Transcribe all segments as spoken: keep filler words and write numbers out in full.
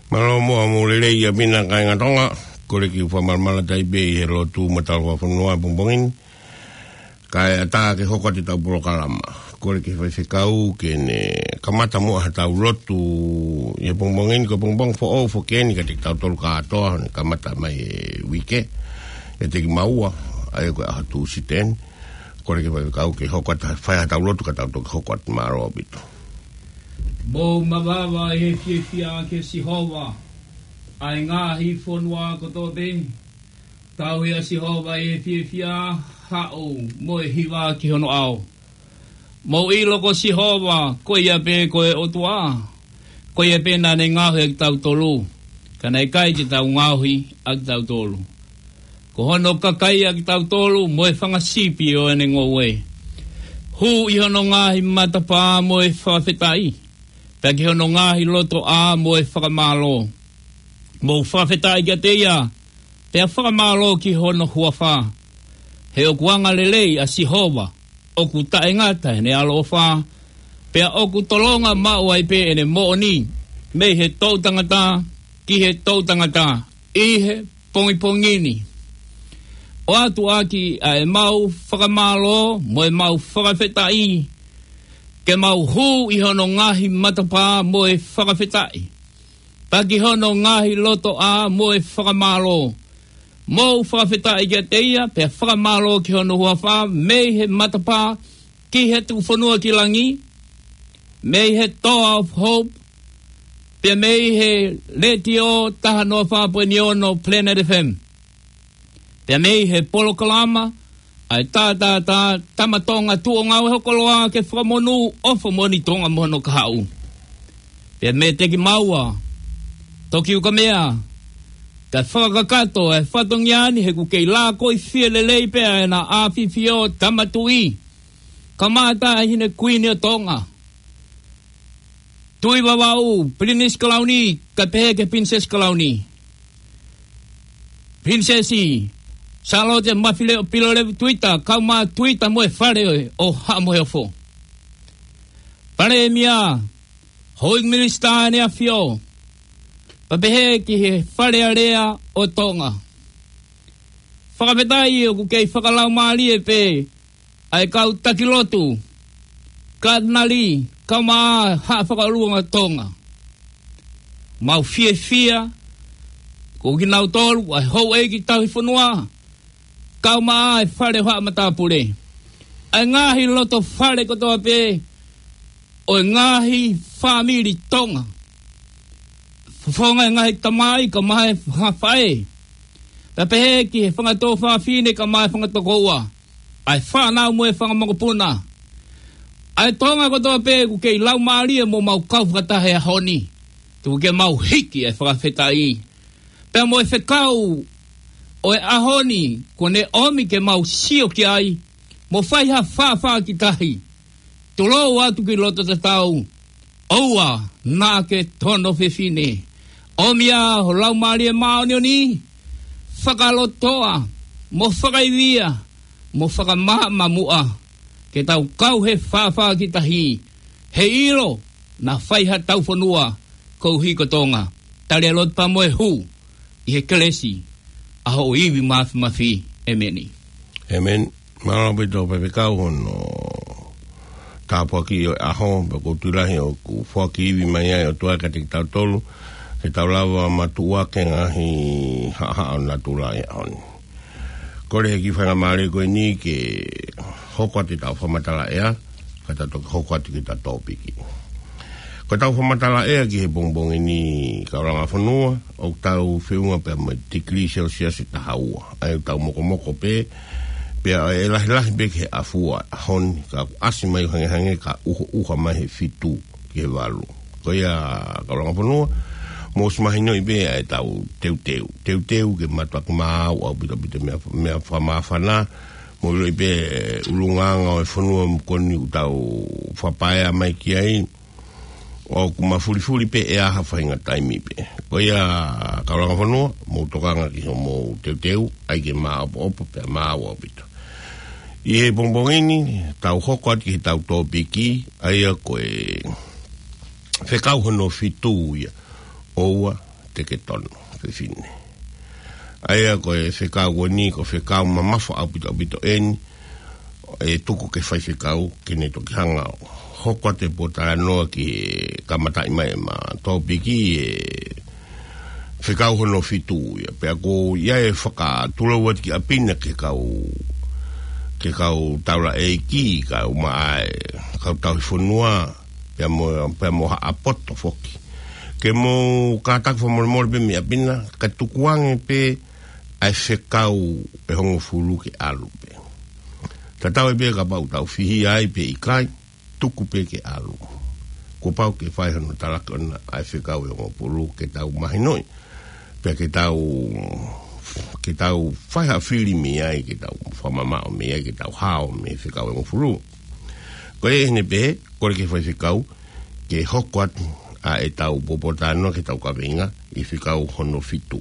Mālō muʻa mo e lelei ʻaupito kāinga Tonga, kole ke u fakamalumalu atu ai pē ʻi he lotu mo e talofa fonua pongipongi ni, kae ʻatā ke hoko atu ʻetau polokalama. Kole ki he faifekau ke ne kamata muʻa haʻatau lotu ʻi he pongipongi ni, ko e pongipongi foʻou foki eni kiate kitautolu kātoa, ne kamata mai e uike, kiate kimaua, ʻa ia ko e ʻaho Tūsite ni. Kole ki he faifekau ke hoko atu, fai haʻatau lotu ka tau toki hoko atu. Mālō ʻaupito. Mou mavava ʻi he fiefia kia Sihova, ʻa e ngaahi fonua kotoa pē. Tauhi ʻa Sihova ʻi he fiefia, haʻu mo e hiva ki hono ʻao. Mou ʻilo ko Sihova, ko ia pē ko e ʻOtua. Ko ia pē naʻa ne ngaohi ʻa kitautolu, ka naʻe ʻikai te tau ngaohi ʻa kitautolu. Ko hono kakai ʻa kitautolu mo e fanga sipi ʻo ʻene ngoue. Hū ʻi hono ngaahi matapā mo e fakafetaʻi, pea ki hono ngaahi lotoʻā mo e fakamālō. Mou fakafetaʻi kiate ia, pea fakamālō ki hono huafa. He ʻoku angalelei ʻa Sihova, ʻoku taʻengata ʻene ʻaloʻofa, pea ʻoku tolonga maʻu ai pē ʻene moʻoni mei he toʻutangata ki he toʻutangata ʻi he pongipongi ni. ʻOatu ʻaki ʻa ʻemau fakamālō mo ʻemau fakafetaʻi, ke mau hū ʻi hono ngaahi matapā mo e fakafetaʻi, pea ki hono ngaahi lotoʻā mo e fakamālō. Mou fakafetaʻi kiate ia, pea fakamālō ki hono huafa, mei he matapā ki he tukufonua ki langi, mei he Toa of Hope, pea mei he Letiō taha noa fā poini ono Planet F M, pea mei he polokalama ʻa e Tātātā Tama Tonga Tuʻo Ngāue Hokoloa ke fakamonū ʻofa moʻoni Tonga mo hono kahaʻu. Pea mei he teki maua, toki ukamea, kae fakakakato e fatongia ni he ʻoku kei lākoifie lelei pē ʻa ʻEna ʻAfifio Tama Tuʻi, kamata ʻa e Hine Kuini ʻo Tonga, Tuʻi Vavaʻu, Pilinisi Kalauni, kae pehē ki he Pilinisesi Kalauni, Pilinisesi Sālote Mafileʻo Pilolevu Tuita, kae ʻumaʻā Tuita mo e Fale ʻo Haʻa Moheofo, Palēmia, Houʻeiki Minisitā ʻEne ʻAfio, pea pehē ki he Fale Alea ʻo Tonga. Fakafetaʻi ʻoku kei fakalaumālie pē ʻa e kau taki lotu, Katinali, kae ʻumaʻā Haʻa Fakaʻulunga Tonga. Mau fiefia, ko kinautolu ʻa e houʻeiki tauhi fonua, kae ʻumaʻā e Fale ʻo Haʻa Matāpule, ʻa e ngaahi loto fale kotoa pē ʻo e ngaahi fāmili Tonga, fofonga e ngaahi tamai kae ʻumaʻā e fanga faʻē, pea pehē ki he fanga tuofāfine kae ʻumaʻā e fanga tokoua, ʻa e fānau mo e fanga mokopuna, ʻa e Tonga kotoa pē ʻoku kei laumālie mo mau kau fakataha he ʻaho ni. Tuku ke mau hiki e fakafetaʻi, pea mo e fekau ʻo e ʻaho ni, kuo ne ʻomi ke mau sio ki ai, mo fai ha faʻafaʻakitahi. Tulou atu ki loto tatau, ʻoua naʻa ke tono fefine. ʻOmi ā ho Laumālie Māʻoniʻoni, fakalotoʻa, mo fakaivia, mo fakamaʻamamuʻa, ke tau kau he faʻafaʻakitahi, he ʻilo naʻa fai haʻatau fonua koeʻuhi ko Tonga. Tali e lotu pea mo e hū ʻi he kelesi ʻa hoʻo ivi māfimafi. ʻEmeni. ʻEmeni. Mālō ʻaupito faifekau hono tāpuakiʻi ʻo e ʻaho, pea ʻoku ou tui lahi ʻoku foaki ivi mai ai ʻOtua kiate kitautolu, ke tau lava matuʻuaki e ngaahi haʻahaʻa ʻo natula he ʻaho ni. Kole he kiʻi faingamālie ko eni ke hoko atu ʻetau fakamatala ʻea, ka tau toki hoko atu ki heʻetau tōpiki. Ko ʻetau fakamatala ʻea ki he pongipongi ni, kau langa fonua, ʻoku tau feʻunga pea mo e tikilī Selsiasi ʻe taha ua. ʻA ia ʻoku tau mokomoko pē, pea ʻe lahilahi pē ki he ʻafua ʻaho ni, ka ʻoku ʻasi mai ʻo hangehangē ka ʻuhoʻuha mai he fitu ki he valu. Ko ia, kau langa fonua, mou ʻosi mahinoʻi pē ʻa ʻetau teuteu. Teuteu ke mātuʻaki maau ʻaupito ʻaupito e meʻa, meʻa fakamāfana, mou ʻiloʻi pē ʻulungaanga ʻo e fonua ko eni ʻoku tau fakapaea mai ki ai, ʻoku mafulifuli pē ʻea ha faʻahinga taimi pē. Ko ia, kau langa fonua, mou tokanga ki hoʻomou teuteu, ʻai ke māʻopoʻopo pea maau ʻaupito. ʻI he pongipongi ni, tau hoko atu ki heʻetau tōpiki, ʻa ia ko e fekau hono fitu ia. ʻOua te ke tono, fefine. ʻA ia ko e fekau ko eni, ko e fekau mamafa ʻaupito ʻaupito eni, ʻe tuku ki he faifekau, ke ne toki hanga ʻo hoko atu e pōtalanoa ki he kamataʻi mai ʻema tōpiki ʻe fekau hono fitu ia. Pea ko ia ʻe fakatulou atu ki ʻapi na ki he kau, ki he kau taulaʻeiki, kau maʻa e, kau tauhi fonua, pea mo, pea mo Haʻa Poto foki. Ke mou kātaki fakamolemole pē mei ʻapi na, kae tukuange pē ʻa e fekau ʻe hongofulu ke ʻalu pē. Tatau ai pē kapau ʻoku tau fihia ai pe ʻikai, tuku pē ke ʻalu. Kuo pau ke fai hono talaki ʻona ʻa e fekau ʻe hongofulu ke tau mahinoʻi. Pea ke tau, ke tau fai ha fili mei ai, ke tau fakamamaʻo mei ai, ke tau hao mei he fekau ʻe hongofulu. Ko ia ʻi heʻene pehē, kole ki he faifekau, ke hoko atu ʻa ʻetau pōtalanoa ki heʻetau kaveinga ʻi he fekau hono fitu.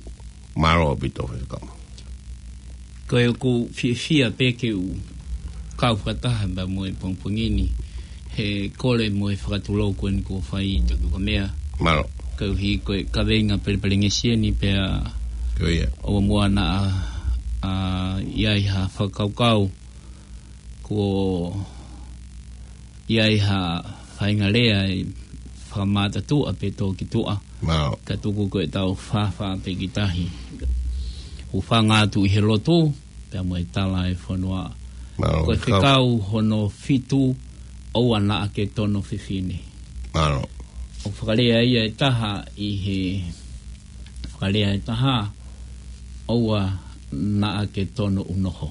Mālō ʻaupito faifekau. Ko e ʻoku ou fiefia pē ke u kau fakataha pea mo e pongipongi ni, he kole mo e fakatulou ko eni kuo fai ʻe Tokiokamea. Mālō. Koeʻuhi ko e kaveinga pelepelengesi eni pea Ko ia. ʻoua muʻa naʻa, ʻa, ʻi ai ha fakakaukau kuo ʻi ai ha faʻahinga lea ʻe fakamātā tuʻa pe tō ki tuʻa. Mālō. Ka tuku ko ʻetau fāfā pē ki tahi. Hūfanga atu ʻi he lotu, pea mo e tala ʻa e fonua. Mālō, Ko e kau. fekau hono fitu, ʻoua naʻa ke tono fefine. Mālō. ʻOku fakalea ia ʻe taha ʻi he, fakalea ʻe taha, ʻoua naʻa ke tono unoho.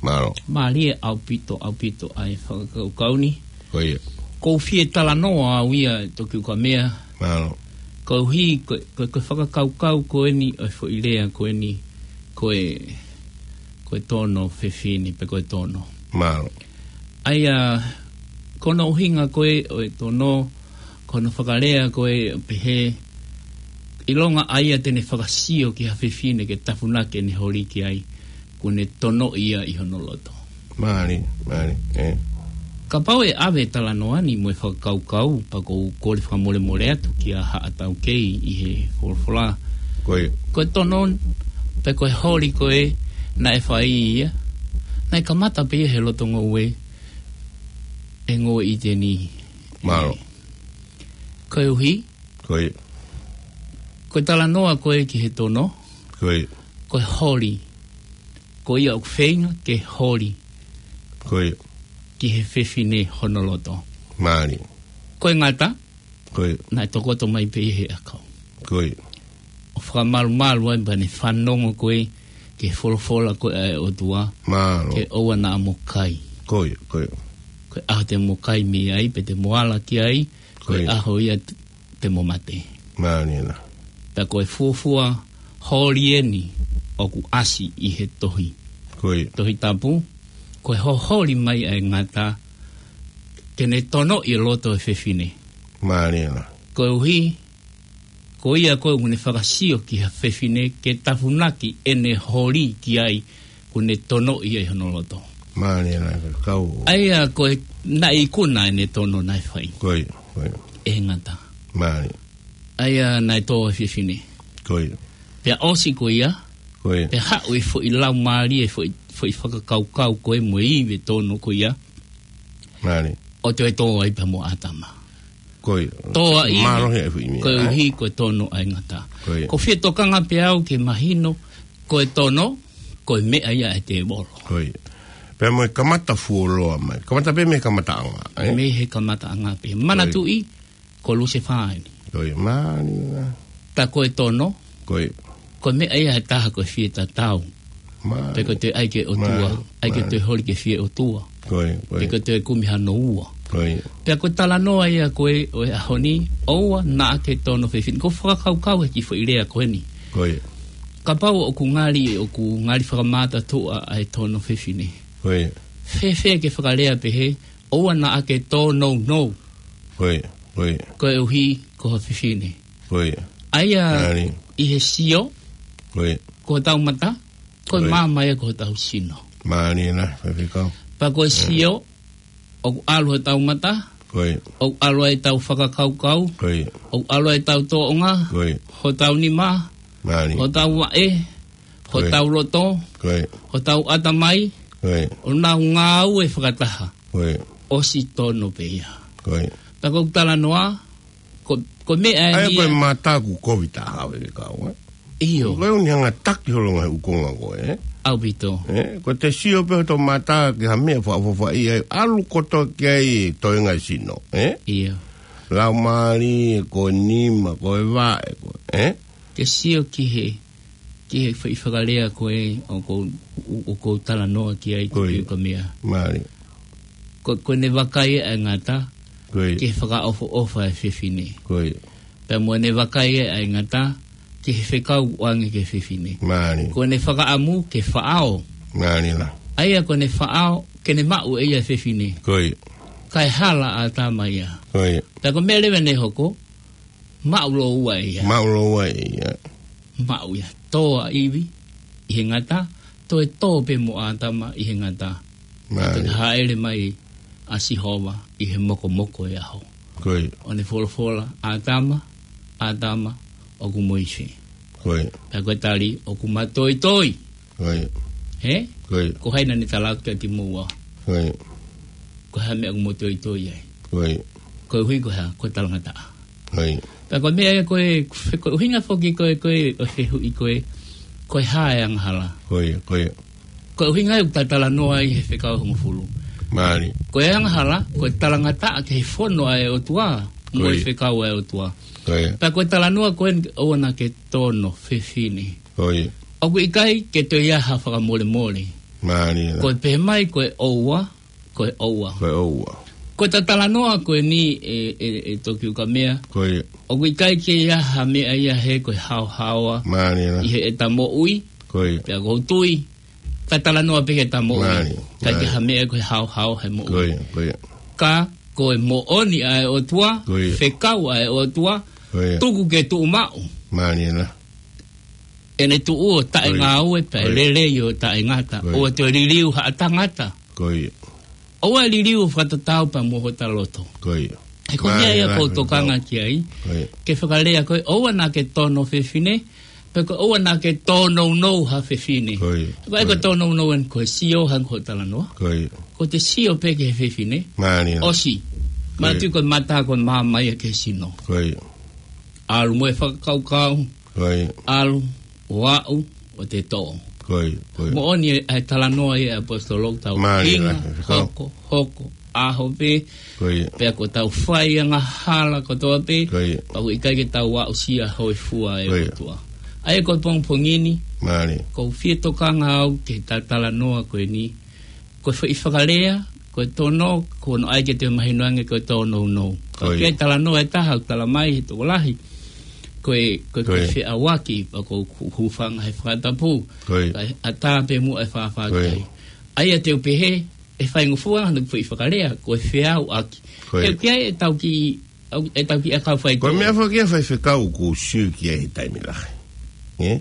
Mālō. Mālie ʻaupito, ʻaupito ʻa e fakakaukau ni. Ko ia. ʻOku ou fie talanoa au ia Tokiokamea. Mālō. Koeʻuhi, ko, ko, ko e fakakaukau ko eni, ʻo e foʻi lea ko eni, ko e, ko e tono fefine, pe ko e tono. Mālō. ʻA ia, ko hono ʻuhinga ko ē ʻo e tono, ko hono fakalea ko ē ʻo pehē, ʻilonga ʻa ia te ne fakasio ki ha fefine ke tafunaki ʻene holi ki ai, kuo ne tonoʻi ia ʻi hono loto. Mālie, mālie, ē. Kapau ʻe ʻave talanoa ni mo e fakakaukau, pea ʻoku ou kole fakamolemole atu kia Haʻa Taukei ʻi he folofola. Ko ia. Ko e tono, pe ko e holi ko ē, naʻe fai ia. Naʻe kamata pē ia he loto ngoue, ʻe ngoue ʻi teni. Mālō. Koeʻuhi. Ko ia. Ko e talanoa ko ē ki he tono. Ko ia. Ko e holi. Ko ia ʻoku feinga ke holi. Ko ia. Ki he fefine hono loto. Mālie. Ko e ngata. Ko ia. Naʻe tokoto mai pē ia he ʻakau. Ko ia. ʻO fakamalumalu ai pea ne fanongo ko ē ki he folofola ko ē ʻa e ʻOtua. Mālō. Ke ʻoua naʻa mo kai. Ko ia, ko ia. Ko e ʻaho te mo kai mei ai, pe te mo ala ki ai, ko Ko e ia. ʻaho ia te, te mo mate. Mālie na. Pea ko e fuofua holi eni ʻoku ʻasi ʻi he tohi. Ko ia. Tohi Tapu, ko e hoholi mai ʻa e ngata, ke ne tonoʻi e loto ʻo e fefine. Mālie na. Koeʻuhi, ko ia ko ē ʻoku ne fakasio ki ha fefine ke tafunaki ʻene holi ki ai, kuo ne tonoʻi ia ʻi hono loto. Mālie na, kau. ʻA ia ko e naʻe ikuna ʻene tono naʻe fai. Ko ia, ko ia. ʻE ngata. Mālie. ʻA ia naʻe tō e fefine. Ko ia. Pea ʻosi ko ia. Ko ia. Pea haʻu e foʻi laumālie, e foʻi, foʻi fakakaukau ko ē mo e ivi tono ko ia. Mālie. ʻO toe tō ai pea mo ʻĀtama. Ko ia. Tō ai. Mālohi e foʻi meʻa. Koeʻuhi ko e tono ʻa e ngata. Ko ia. ʻOku ou fie tokanga pē au ke mahino, ko e tono, ko e meʻa ia ʻa e tēvolo. Ko ia. Pea mo e kamata fuoloa mai. Kamata pē mei he kamataʻanga, ē? Mei he kamataʻanga pē. Ko ia. Manatuʻi, ko Lusefā eni. Ko ia, mālie na. Ka ko e tono, Ko ia. ko e meʻa ia ʻe taha ko e fie tatau. Mālie. Pe ko e toe ʻai ki he ʻOtua, Mālie. ʻai ke Mālie. toe holi ki he fie ʻOtua. Ko ia, ko ia. Pe ko e toe kumi hano ua. Ko ia. Pea ko e talanoa ia ko ē ʻo e ʻaho ni, ʻoua naʻa ke tono fefine. ʻOku ou fakakaukau he kiʻi foʻi lea ko eni. Ko ia. Kapau ʻoku ngali, ʻoku ngali fakamātā tuʻa ʻa e tono fefine. Ko ia. Fēfē ke fakalea pehē, ʻoua naʻa ke tōnounou. Ko ia, ko ia. Koeʻuhi ko ha fefine. Ko ia. ʻA ia Mālie. ʻi he sio, Ko ia. ko hotau mata, ko e Ko ia. maama ia ko hotau sino. Mālie na, faifekau. Pea ko e Ko ia. sio, ʻoku ʻalu hotau mata, Ko ia. ʻOku ʻalu ai ʻetau fakakaukau. Ko ia. ʻOku ʻalu ai ʻetau tōʻonga. Ko ia. Hotau nima. Mālie. Hotau vaʻe. Ko ia. Hotau loto. Ko ia. Hotau ʻatamai. Ko ia. ʻO nau ngāue fakataha. Ko ia. ʻOsi tono pē ia. Ko ia. Pea ko ʻeku talanoa, ko, ko e meʻa ʻeni ia. ʻA ia ko e mata ʻoku kovi taha ʻa e fekau, ē? ʻIo. Ko e ʻuhinga taki holo ngaahi ʻū konga ko ē, ē? ʻAupito. Ē, ko ʻete sio pē hoto mata ki ha meʻa fakaʻofoʻofa ʻi ai, ʻalu kotoa ki ai e toenga e sino, ē? ʻIo. Laumālie, ko e nima, ko e vaʻe, ko, ē? Ke sio ki he, ki he foʻi fakalea ko ē ʻoku ou, ʻoku ou talanoa ki ai. Ko ia. Tokioka meʻa. Mālie. Ko, ko ʻene vakai ʻa e ngata, ko ia, ke fakaʻofoʻofa e fefine. Ko ia. Pea mo ʻene vakai ʻa e ngata, ke he fekau ʻoange ki he fefine. Mālie. Ko ʻene fakaʻamu, ke faʻao. Mālie lā. ʻA ia ko ʻene faʻao, ke ne maʻu ʻe ia e fefine. Ko ia. Kae hala ʻa ʻĀtama ia. Ko ia. Pea ko e meʻa leva naʻe hoko, maʻu lōua ia. Maʻu lōua ia. Maʻu ia. Tō ʻa ʻIvi ʻi he ngata, toe tō pē mo ʻĀtama ʻi he ngata. Mālie. Pea toe hāʻele mai ʻa Sihova ʻi he mokomoko ʻo e ʻaho. Ko ia. ʻO ne folofola, ʻĀtama, ʻĀtama, ʻoku mo ʻi fē? Ko ia. Pea ko e tali, ʻoku ma toitoi. Ko ia. Hē? Ko ia. Ko hai naʻa ne tala atu kiate kimoua? Ko ia. Ko e hā e meʻa ʻoku mo toitoi ai? Ko ia. Koeʻuhi ko e hā? Ko e talangataʻa. Ko ia. Pea ko e meʻa ia ko ē, fe-, ko e ʻuhinga foki ko ē, ko ē, ʻo e fehuʻi ko ē, ko e hā e angahala? Ko ia, ko ia. Ko e ʻuhinga ia ʻoku ta talanoa ai he fekau hongofulu. Mālie. Ko e angahala, ko e talangataʻa ki he fono ʻa e ʻOtua, mo e, ko ia, fekau ʻa e ʻOtua. Ko ia. Pea ko e talanoa ko ē ʻoua naʻa ke tono fefine. Ko ia. ʻOku ʻikai ke toe ʻi ai ha fakamolemole. Mālie lā. Ko e pehē mai ko e ʻoua, ko e ʻoua. Ko e ʻoua. Ko ʻeta talanoa ko eni ē, ē, ē Tokioka meʻa. Ko ia. ʻOku ʻikai ke ʻi ai ha meʻa ia he ko e haohaoa. Mālie lā. ʻI heʻeta moʻui. Ko ia. Pea ʻoku ou tui, ta talanoa pē ki heʻeta moʻui. Mālie. ʻIkai ke, mālie, ha meʻa ko e haohaoa he moʻui. Ko ia, ko ia. Ka ko e moʻoni ʻa e ʻOtua, ko ia, fekau ʻa e ʻOtua, ko ia, tuku ke tuʻu maʻu. Mālie lā. ʻEne tuʻu ʻo taʻengāue, ko ia, pea, ko ia, lelei ʻo taʻengata. Ko ia. ʻOua te liliu ha tangata. Ko ia. ʻOua liliu fakatatau pea mo hota loto. Ko ia. He ko e meʻa ia, mālie lā, ʻoku ou tokanga ki ai. Ko ia. Ke fakalea ko ē, ʻoua naʻa ke tono fefine, pe ko e ʻoua naʻa ke tōnounou ha fefine. Ko ia. Ko e, ko e, ko ia, tōnounou eni ko e sio hangē ko e talanoa. Ko ia. Ko ʻete sio pē ki he fefine. Mālie lā. ʻOsi. Ko ia. Mātuʻaki ko e mata ko e maama ia ki he sino. Ko ia. ʻAlu mo e fakakaukau. Ko ia. ʻAlu, ʻo aʻu, ʻo te tō. Ko ia, ko ia. Moʻoni ʻa e talanoa ia ʻa e ʻaposetolo, tau, mālie lā, hinga, fekau, hoko, hoko, ʻaho pē. Ko ia. Pea ko ʻetau fai angahala kotoa pē. Ko ia. Pea ʻoku ʻikai ke tau aʻusia hōifua e, ko ia, ʻOtua. ʻA ia ko e pongipongi ni, mālie, ʻoku ou fie tokanga au ki heʻeta talanoa ko eni. Ko e foʻi fakalea, ko e tono, ko hono ʻai ke toe mahino ange ko e tōnounou. Ko ia. Ko e talanoa ʻe taha, ʻoku tala mai he tokolahi. Ko e, ko e, ko e, ko ia, feʻauaki, pea ʻoku ou hū-, hūfanga he fakatapu. Ko ia. Kae ʻatā pē muʻa e fāfā, ko ia, ki ai. ʻA ia te u pehē, ʻe faingofua hano foʻi fakalea, ko e feʻauaki. Ko ia. He ʻoku ʻi ai ʻetau kiʻi, au, ʻetau kiʻi ʻakau fai. Ko e meʻa foki ia ʻa e faifekau ʻoku ou sio ki ai he taimi lahi. Ē?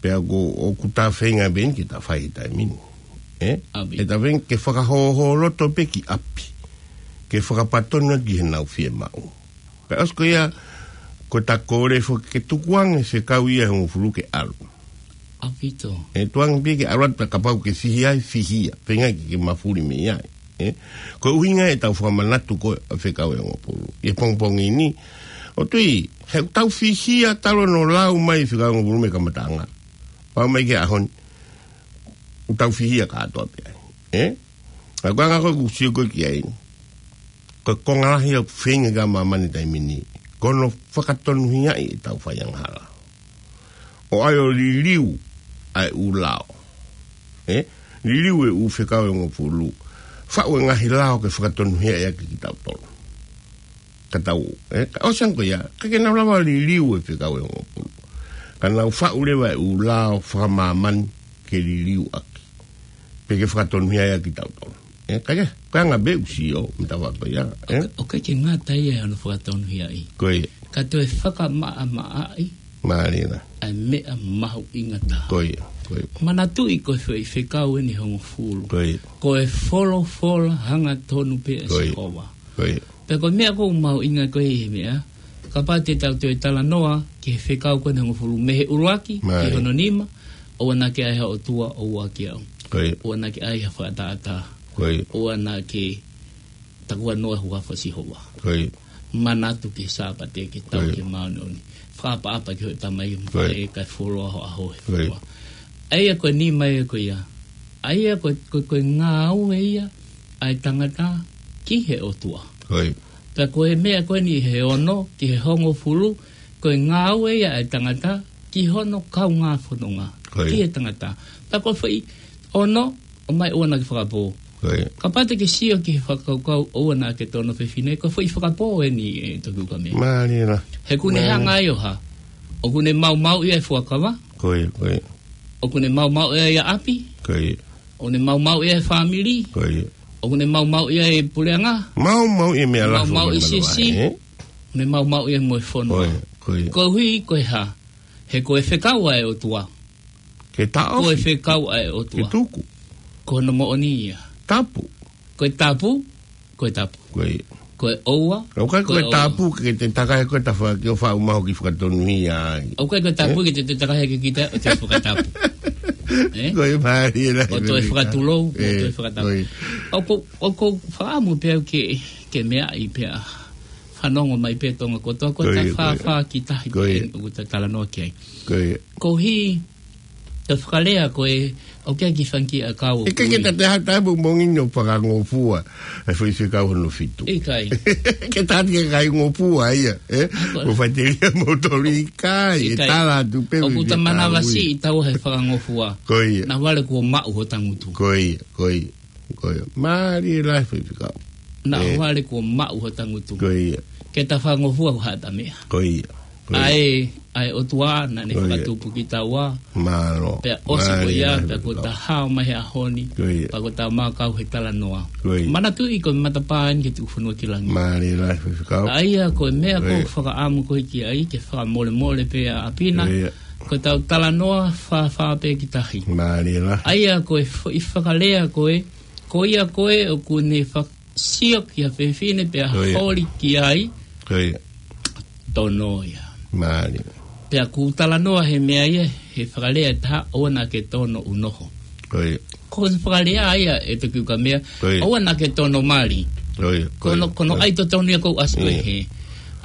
Pea ʻoku, ʻoku ta feinga pē eni ke ta fai he taimi ni. Ē? ʻAupito. ʻE ta feinga ke fakahōhōloto pē ki ʻapi. Ke fakapatonu ki heʻenau fiemaʻu. Pea ʻosi ko ia, ko ʻeta kole foki ke tukuange e fekau ia ʻe hongofulu ke ʻalu. ʻAupito. ʻE tukuange pē ke ʻalu atu pea kapau ʻoku ke fihia ai, fihia. Feinga ke, ke mafuli mei ai. Ē? Ko e ʻuhinga ia ʻetau fakamanatu ko ē ʻa e fekau ʻe hongofulu ʻi he pongipongi ni. ʻOku ou tui, he ʻoku tau fihia talu hono lau mai e fekau ʻe hongofulu mei he kamataʻanga. Pau mai ki he ʻaho ni, ʻoku tau fihia kātoa pē ai. Ē? Ka ko e anga ko ē ʻoku ou sio ko ē ki ai, ko e konga lahi ʻoku feinga ki ai ʻa māmani he taimi ni, ko hono fakatonuhiaʻi ʻetau fai angahala. ʻO ʻai ʻo liliu ʻa e ʻū lao. Ē? Liliu e ʻū fekau ʻe hongofulu. Faʻu e ngaahi lao ke fakatonuhiaʻi ʻaki kitautolu. Ka tau, ē? Ka ʻosi ange ko ia, ʻikai ke nau lava liliu e fekau ʻe hongofulu. Ka nau faʻu leva e ʻū lao fakamāmani ke liliu ʻaki. Pe ke fakatonuhiaʻi ʻaki kitautolu. Ē, ka ia, ko e anga pē ʻeku sio, mita wako ia, ē? ʻOku, ʻoku ʻikai ke ngata ia ʻi hono fakatonuhiaʻi. Ko ia. Ka toe fakamaʻamaʻaʻi. Mālie lā. ʻA e meʻa mahuʻinga taha. Ko ia, ko ia. Manatuʻi ko e foʻi fekau eni ʻe hongofulu. Ko ia. Ko e folofola hangatonu pē ʻa, ko ia, Sihova. Ko ia. Pea ko e meʻa ʻoku mahuʻinga ko ē ʻi he meʻa, kapau te tau toe talanoa ki he fekau ko eni hongofulu mei he ʻuluaki ki hono nima, ʻoua naʻa ke ʻai ha ʻotua ʻo ua kiate au. ʻOua naʻa ke ʻai ha fakaʻataʻatā. ʻOua naʻa ke takuanoa huafa Sihova. Manatu ki he Sāpate ke tau ke māʻoniʻoni. Fakaʻapaʻapa ki hoʻo tamai mo e faʻē kae fuoloa ho ʻaho he fuoloa. ʻA ia ko e nima ia ko ia. ʻA ia ko, ko, ko e ngāue ia ʻa e tangata ki he ʻOtua. Pea ko e meʻa ko eni he ono ki he hongofulu, ko e ngāue ia ʻa e tangata ki hono kaungā fononga. Ki he tangata. Pea ko e foʻi ono, ʻomai ʻoua naʻa ke fakapō. Kapau te ke sio ki he fakakaukau ʻoua naʻa ke tono fefine, ko e foʻi fakapō eni ʻe Toki Ukamea. Mālie lā. He ʻoku ne hanga ai ʻo hā. ʻOku ne maumauʻi ʻa e fuakava. ʻOku ne maumauʻi ʻa e ʻapi. ʻOku ne maumauʻi ʻa e fāmili. ʻOku ne maumauʻi ʻa e puleʻanga. Maumauʻi ʻa e meʻa lā. Maumauʻi siasi. ʻOku ne maumauʻi ʻa e mo e fonua. Koeʻuhi ko e hā. He ko e fekau ʻa e ʻOtua. Ke taʻofi. Ko e fekau ʻa e ʻOtua. Ke tuku. Ko hono moʻoni ia. Tapu. Ko e tapu, ko e tapu. Ko e ʻoua, ʻoku ʻikai ko e tapu ke te takai ko e tafa ke ʻo faʻu maho ki fakatonuhia ai. ʻOku ʻikai ko e tapu ke te takai ke kita ʻo te fakatapu. Ko e mālie lā. ʻO toe fakatulou, ʻo toe fakatapu. ʻOku, ʻoku ou fakaʻamu pē au ke, ke meaʻi pē ʻa fanongo mai pē Tonga kotoa, ko e tafafā ki tahi pē ʻoku ta talanoa ki ai. Koeʻuhi, ko e fakalea ko ē, ʻoku ʻikai ke fangiki ʻa e kau ʻoku ʻikai ke ta te hata ʻapongipongi ni ʻo fakangofua ʻa e foʻi fekau hono fitu. ʻIkai. Ke ta te kaingofua ia, ē? Ko e faʻiteliha mo toli ʻikai, ʻe tala atu pē ʻoku ta manavasiʻi taua he fakangofua. Ko ia. Naʻa vale kuo maʻu ho tangutu. Ko ia, ko ia. Mālie lā e foʻi fekau. Naʻa vale kuo maʻu ho tangutu. Ko ia. Ke ta fakangofua ko haʻata meʻa. Ko ia. ʻA e, ʻa e ʻOtua naʻa ne fakatupu kitaua. Mālō. Pea ʻosi ko ia, pea ko ta hao mai he ʻaho ni. Pea ko ta makau he talanoa. Manatuʻi ko e matapā eni ki he tuku fonua ki langi. Mālie lā e foʻi fekau. ʻA ia ko e meʻa ʻoku ou fakaʻamu ko ē ki ai, ke fakamolemole pē ʻa ʻApina. Ko ʻetau talanoa fāfā pē ki tahi. Mālie lā. ʻA ia ko e foʻi fakalea ko ē, ko ia ko ē ʻoku ne fak- sio ki ha fefine pea holi ki ai. Tono ia. Mālie. Pea ʻoku talanoa he meʻa ia, he fakalea ʻe taha, ʻoua naʻa ke tono ʻunoho. Ko e fakalea ia ʻe Toki Ukamea, ʻoua naʻa ke tono mali. Ko hono, ko hono ʻai totonu ia ʻoku ʻasi ko ē he.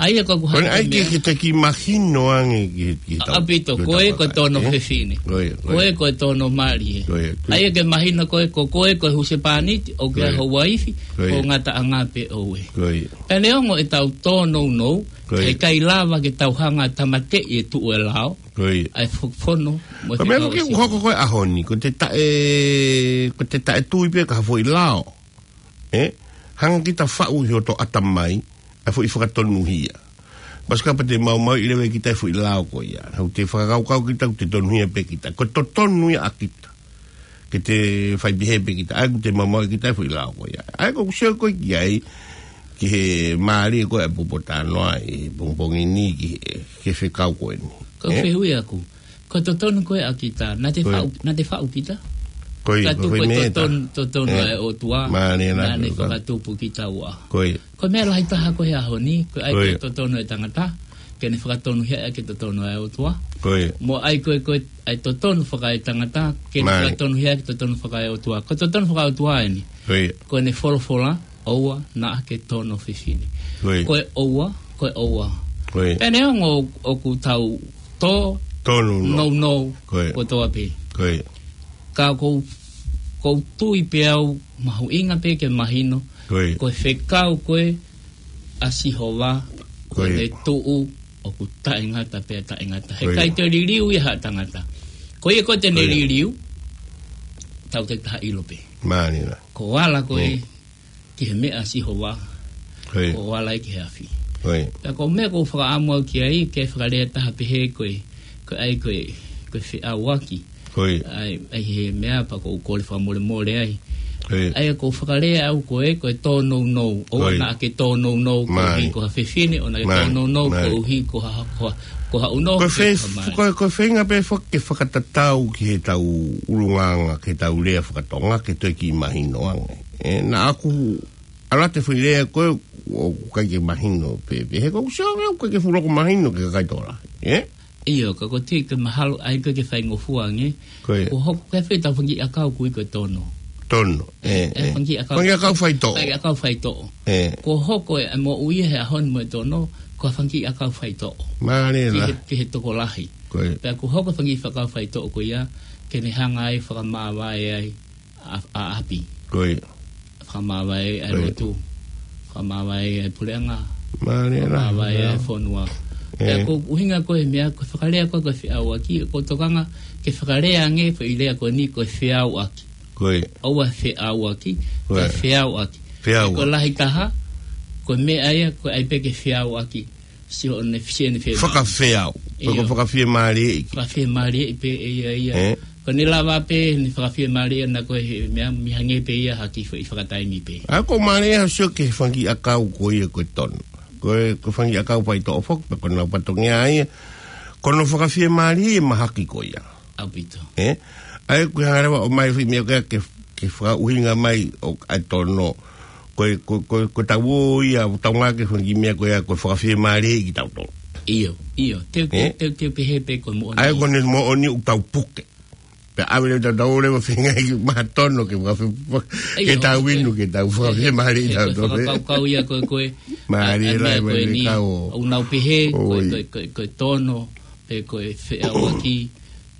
ʻA ia ko ʻeku hanga ʻai ke, ke te kiʻi mahino ange ki he, ki he tau, ʻaupito, ko e, ko e tono fefine. Ko e, ko e tono mali ē. ʻA ia ke mahino ko e, ko, ko e, ko e husepāniti, ʻoku ke ʻa ho uaifi, ko e ngataʻanga pē ʻoʻou ē. Pea neongo ʻetau tōnounou, ʻe ʻikai lava ke tau hanga ʻo tāmateʻi e tuʻu ʻo e lao, ʻa e fo-, fono, mo e fekau ʻo Sihova. Ko e meʻa ʻoku ke hoko ko e ʻaho ni, ko te taʻe, ko te taʻe tui pē ki ha foʻi lao. ʻE, hanga kita faʻu ʻi hoto ʻatamai, ʻa e foʻi fakatonuhia. Pasi kapau te maumauʻi leva ʻe kita e foʻi lao ko ia. ʻOku te fakakaukau kita, ʻoku te tonuhia pē kita. Ko e totonu ia ʻa kita. Ke te fai pehē pē kita. ʻA ia ʻoku te maumauʻi kita e foʻi lao ko ia. ʻA ia ʻoku ou sio ko ē ki ai, ki he mālie ko ē ʻa e poupou talanoa ʻi he pongipongi ni ki he, ki he fekau ko eni. Ko e fehuʻi ʻaku. Ko e totonu ko ē ʻa kita, naʻa te faʻu, naʻa te faʻu kita. Ko ia, ko e foʻi meʻa ʻe taha. Totonu, totonu ʻa e ʻOtua, naʻa ne fakatupu kitaua. Ko ia. Ko e meʻa lahi taha ko ē he ʻaho ni, ko e ʻai ko e totonu ʻa e tangata, ke ne fakatonuhia ʻaki e totonu ʻa e ʻOtua. Ko ia. Mo ʻai ko ē, ko e ʻai totonu fakaetangata, ke ne fakatonuhia ʻaki e totonu fakaeʻOtua. Ko e totonu fakaeʻOtua eni. Ko ia. Ko ʻene folofola, ʻoua naʻa ke tono fefine. Ko e ʻoua, ko e ʻoua. Pea neongo ʻoku tau tōnounou kotoa pē. Ka ʻoku ou, ʻoku ou tui pē au mahuʻinga pē ke mahino. Ko e fekau ko ē ʻa Sihova, ko ʻene tuʻu ʻoku taʻengata pea taʻengata. He ʻikai te liliu ia ha tangata. Ko ia ko ē te ne liliu, tau te taha ʻilo pē. Mālie lā. Ko e ala ko ē ki he meʻa ʻa Sihova, ko e ala ia ki he afi. Pea ko e meʻa ʻoku ou fakaʻamu au ki ai, ke fakalea taha pehē ko e, ko e ʻai ko e, ko e feʻauaki. ʻA e, ʻa e he meʻa pea ʻoku ou kole fakamolemole ai. ʻA ia ʻoku ou fakalea au ko e, ko e tōnounou, ʻoua naʻa ke tōnounou koeʻuhi ko ha fefine, ʻoua naʻa ke tōnounou koeʻuhi ko ha, ko ha, ko ha ʻunoho. Ko e fei-, ko e, ko e feinga pē fak-, ke fakatatau ki he tau ʻulungaanga, ki he tau lea fakatonga, ke toe kiʻi mahino ange. ʻE, naʻa ku ʻalu atu e foʻi lea ko ē, ʻoku ʻikai ke mahino pē, pē. He ʻoku ou sio ange ʻoku ʻikai ke fuʻu loko mahino ki he kakai tokolahi, ē? ʻIo, ka ko e tui ke mahalo ai ko e ke faingofua ange. Ko ia. Ko hoko ke fai ʻetau fanga kiʻi ʻakau ko ia ko e tono. Tono, ē, ʻE, ʻe. fanga kiʻi ʻakau. Fanga kiʻi ʻakau faitoʻo. Fanga kiʻi ʻakau faitoʻo. ʻE. Ko hoko e moʻui he ʻaho ni mo e tono, ko e fanga kiʻi ʻakau faitoʻo. Mālie Ki he, lahi. ki he tokolahi. Ko ia. Pea ko hoko e fanga kiʻi ʻakau faitoʻo ko ia, ke ne hanga ai fakamāvae ai ʻa, ʻa ʻapi. Ko ia. Fakamāvae ai Ko ia. lotu. Fakamāvae ai puleʻanga. Mālie lahi, Fakamāvae ai mālie. fonua. ʻE. Pea ko e ʻuhinga ko e meʻa, ko e fakalea ko e, ko e feʻauaki, ʻoku ou tokanga ke fakalea ange, foʻi lea ko eni ko e feʻauaki. Ko ia. ʻOua feʻauaki, Ko ia. ka feʻauaki. Feʻauaki. Ko e lahi taha, ko e meʻa ia, ko e ʻai pē ke feʻauaki. Sio ne, sio ne feʻau. Fakafeau. Ko e ʻIo. fakafiemālieʻi. Fakafiemālieʻi pē ʻe ia ia. ʻE. Ko ʻene lava pē, ne fakafiemālieʻi ʻana ko e he meʻa, mei hangē pē ia ha kiʻi foʻi fakataimi pē. ʻA ko mālie ha sio ki he fanga kiʻi ʻakau ko ia ko e tono. Ko e, ko e fanga kiʻi ʻakau faitoʻo foki, pea ko ʻenau fatongia ia. Ko hono fakafiemālieʻi e mahaki ko ia. ʻAupito. ʻE? ʻA ia ko e hanga leva ʻo ʻomai foʻi meʻa ko ia ke, ke fakaʻuhinga mai ʻo ʻai tono. Ko e, ko, ko, ko ʻetau ō ia, ʻoku tau ngāueʻaki e fanga kiʻi meʻa ko ia, ko e fakafiemālieʻi kitautolu. ʻIo, ʻio. Teu, teu, ʻE? teu, teu pehē pē ko e moʻoni. ʻA ia ko ʻene moʻoni ʻoku tau puke. Pea ʻave leva ʻetau, tau leva feinga ʻi maha tono ke fakafi-, ke ʻIo, tau ko e, inu, ke tau ko e, fakafiemālieʻi ko e, ko e kitautolu, ē? fakakaukau ia ko e, ko e, Mālie ʻa, ʻa e lahi, meʻa ko mālie eni, kau. ʻoku nau pehē, ko e, ʻOi. ko e, ko e, ko e tono, pe ko e feʻauaki,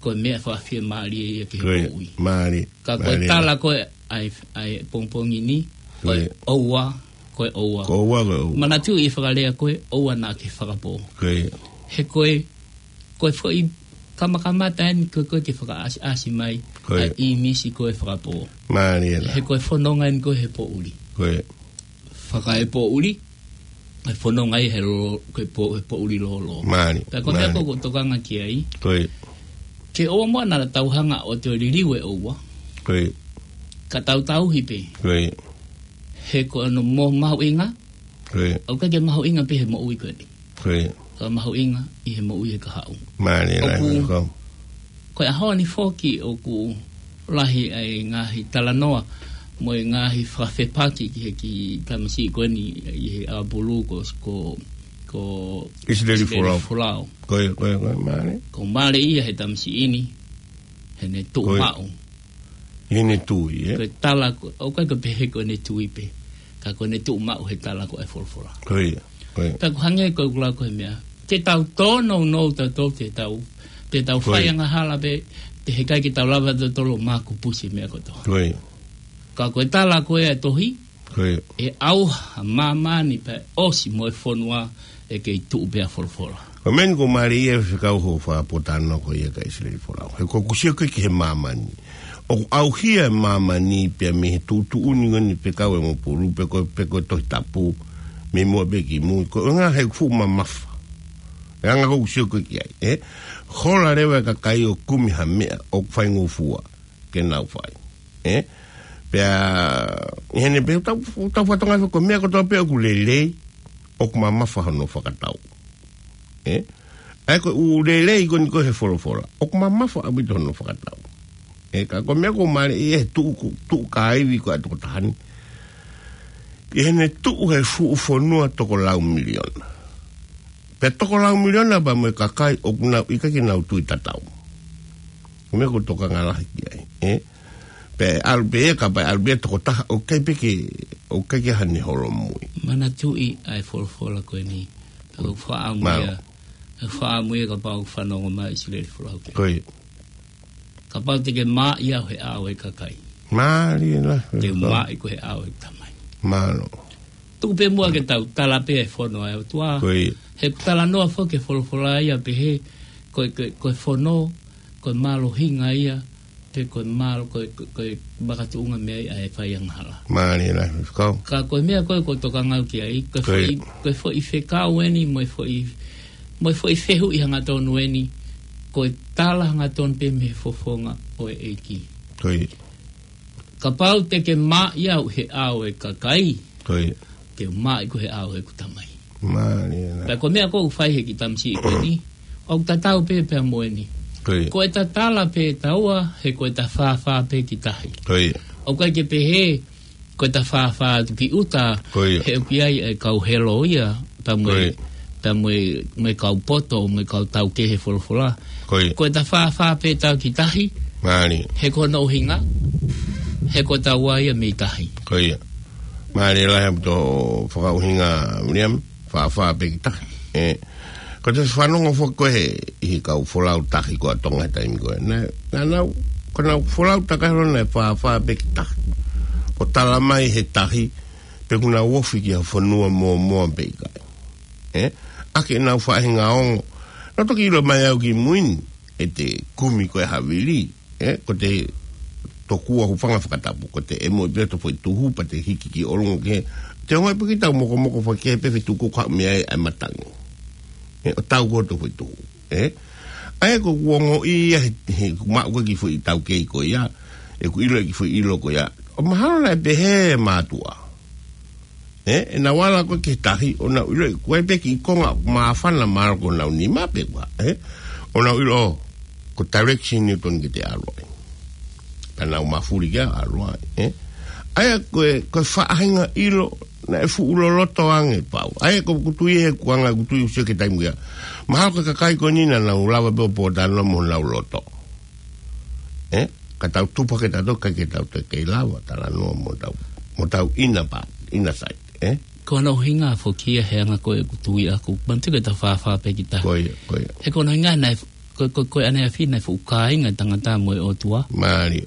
ko e meʻa fakafiemālie ia ki he Ko e, moʻui. mālie, Ka ko e mālie. tala ko e, ʻa e, ʻa e pongipongi ni, ko e Ko e. ʻoua, ko e ʻoua. Ko e ʻoua, ko e ʻoua. Manatuʻi e fakalea ko e ʻoua naʻa ke fakapō. Ko e. He ko e, ko e foʻi kamakamata eni ko e, ko e ke fakaʻasiʻasi mai, Ko e. ʻa e ʻīmisi ko e fakapō. Mālie lahi. He ko e fononga eni ko e he poʻuli. Ko e. Fakaepoʻuli, e fononga ia he lo-, ko e po-, he poʻuli lōlō. Mālie, Pea ko e meʻa mālie. ko ʻoku ou tokanga ki ai. Ko e. Ke ʻoua muʻa naʻa tau hanga ʻo toe liliu e ʻoua. Ko e. Ka tau tauhi pē. Ko e. He ko hono mo mahuʻinga. Ko e. ʻOku ʻikai ke mahuʻinga pē he moʻui ko eni. Ko e. Ka mahuʻinga ʻi he moʻui he kahaʻu. Mālie lahi, ʻOku, ko. ko e ʻaho ni foki ʻoku lahi ʻa e ngaahi talanoa mo e ngaahi fakafepaki ki he kiʻi tamasiʻi ko eni ʻi he ʻaupulu ko, ko, ko ʻIsileli ʻIsileli Folau. Folau. Ko e, ko e, ko e, mālie. Ko mālie ia he tamasiʻi ni, heʻene tuʻu Ko e. maʻu. ʻI heʻene tui, ē? Ko e tala ko, ʻoku ʻikai ko e pehē ko ʻene tui pē. Ka ko ʻene tuʻu maʻu he tala ko e folofola. Ko ia, ko ia. Pea ʻoku hangē ko e kula ko e meʻa. Te tau tōnounou tautolu, te tau, te tau Ko fai ia. angahala pē, te heʻikai ke tau lava tautolu ʻo makupusi meʻa kotoa. Ko ia. Ka ko e tala ko e tohi, Ko ia. ʻe ʻauha māmani pea ʻosi mo e fonua ʻe kei tuʻu pē ʻa folofola. Ko e meʻa ni ʻoku mālie ia fekau hoʻo fakapōtalanoa ko ia kia ʻIsileli Folau. He ʻoku ou sio ko ē ki he māmani. ʻOku ʻauhia e māmani pea mei he tuʻutuʻuni ko eni fekau ʻa e ʻaupulu pe ko, pe ko e Tohi Tapu. Mei muʻa pē ki mui. Ko e ʻuhinga he fuʻu mamafa. E anga ʻoku ou sio ko ē ki ai, ē? Hola leva e kakai ʻo kumi ha meʻa ʻoku faingofua ke nau fai. Ē? Pea, ʻi heʻene pē tau, tau fatongia ko e meʻa kotoa pē ʻoku lelei, ʻoku mamafa hono fakatau. Ē? ʻA ia ko e ʻū lelei ko eni ko e he folofola. ʻOku mamafa ʻaupito hono fakatau. Ē, ka ko e meʻa ʻoku mālie ʻi he tuʻu, tuʻu kāivi ko ē ʻa e tokotaha ni. ʻI heʻene tuʻu he fuʻu fonua toko lau miliona. Pea toko lau miliona pea mo e kakai ʻoku nau ʻikai ke nau tui tatau. Ko e meʻa ʻoku ou tokanga lahi ki ai, ē? Pea ʻalu pē ia, kapau ʻe ʻalu pē ia tokotaha, ʻoku ʻikai pē ke, ʻoku ʻikai ke ʻi ai hano holomui. Manatuʻi ʻa e folofola ko eni. Ka ʻoku faʻa Mālō. muia, ʻoku faʻa muia kapau ʻoku fanongo mai ʻIsileli Folau ki ai. Ko ia. Kapau te ke mā ia he ʻao e kakai. Mālie lahi. Te u mā ʻi ko e he ʻao e tamai. Mālō. Tuku pē muʻa ke tau tala pē e fono ʻa e ʻOtua. Ko ia. He talanoa foki e folofola ia pehē, ko e, ko e, ko e fono, ko e mālohinga ia, pe ko e mālo-, ko e, ko e, ko e makatuʻunga mei ai ʻa e fai angahala. Mālie lahi, kau. Ka ko e meʻa ko ē ʻoku ou tokanga au ki ai, ko e Ko ia. foʻi, ko e foʻi fekau eni, mo e foʻi, mo e foʻi fehuʻi hangatonu eni, ko e tala hangatonu pē mei he fofonga ʻo e ʻEiki. Ko ia. Kapau te ke mā ia he ʻao e kakai, Ko ia. te u mā ʻi ko e he ʻao ʻeku tamai. Mālie lahi. Pea ko e meʻa ʻoku fai he kiʻi tamasiʻi ko eni, ʻoku tatau pē pea mo eni. Ko ia. Ko e tatala pē taua, he ko e tafāfā pē ki tahi. Ko ia. ʻOku ʻikai ke pehē, Ko ʻeta fāfā atu ki ʻuta, Ko ia. he ʻoku ʻi ai e kau helo ia, pea mo e, Ko ia. pea mo e, mo e kau poto, mo e kau taukei he folofola. Ko ia. Ko ʻeta fāfā pē ʻetau ki tahi, Mālie. he ko hono ʻuhinga, he ko ʻetau ʻa ia mei tahi. Ko ia. Mālie lahi ʻaupito fakaʻuhinga, William, fāfā pē ki tahi. ʻE, ko te fanongo foki koe he, ʻi he kau folau tahi ko ē ʻa Tonga he taimi ko ē. Naʻa, naʻa nau, ko ʻenau folau takai holo naʻe fāfā pē ki tahi. ʻO tala mai he tahi, pe ʻoku nau ofi ki ha fonua mōmoa pe ʻikai. ʻE, ʻaki ʻenau faʻahinga ongo. Naʻa toki ʻilo mai au ki mui ni, ʻete kumi ko ē ha vili, ʻe, ko te tokua hūfanga fakatapu, ko te ʻemo pē ʻo te foʻi tuhu, pea te hiki ki ʻolunga ke, te ongo pē ki tau mokomoko fakakehe pē fetuku ka mea e ai matangi. ʻE, ʻo tau ko te foʻi tuhu, ʻe. ʻA ia ko ʻeku ongoʻi ia, he, he ʻoku maʻu ko ē ki foʻi taukei ko ia, ʻeku ʻilo ki foʻi ʻilo ko ia. ʻO mahalo naʻe pehē mātuʻa. ʻE, ʻenau ala ko ē ki tahi, ʻo nau ʻilo, ko e pē ki konga, māfana mahalo ko ʻenau nima pe ko e hā, ʻe? ʻO nau ʻilo, ko direction ni ʻoku totonu ke te ʻalu ai. Pea nau mafuli ke ʻalu ai, ʻe? ʻA ia ko e, ko e faʻahinga ʻilo, naʻe fuʻu loloto ange pau. ʻA ia ko ʻeku tui he kuanga ʻeku tui ʻoku sio ki he taimi ko ia. Mahalo ko e kakai ko eni naʻa nau lava pē ʻo pōtalanoa mo honau loto. ʻE? Ka tau tupu hake tautolu ʻikai ke tau toe kei lava talanoa mo tau, mo tau ʻina pa, ʻina sai, ʻe? Ko hono ʻuhinga foki ia he anga ko ē ʻeku tui ʻaku, manatu ki ʻeta fāfā pē ki tahi. Ko ia, ko ia. He ko hono ʻuhinga naʻe, ko, ko, ko e ʻaneafi naʻe fuʻu kāinga e tangata mo e ʻOtua. Mālie.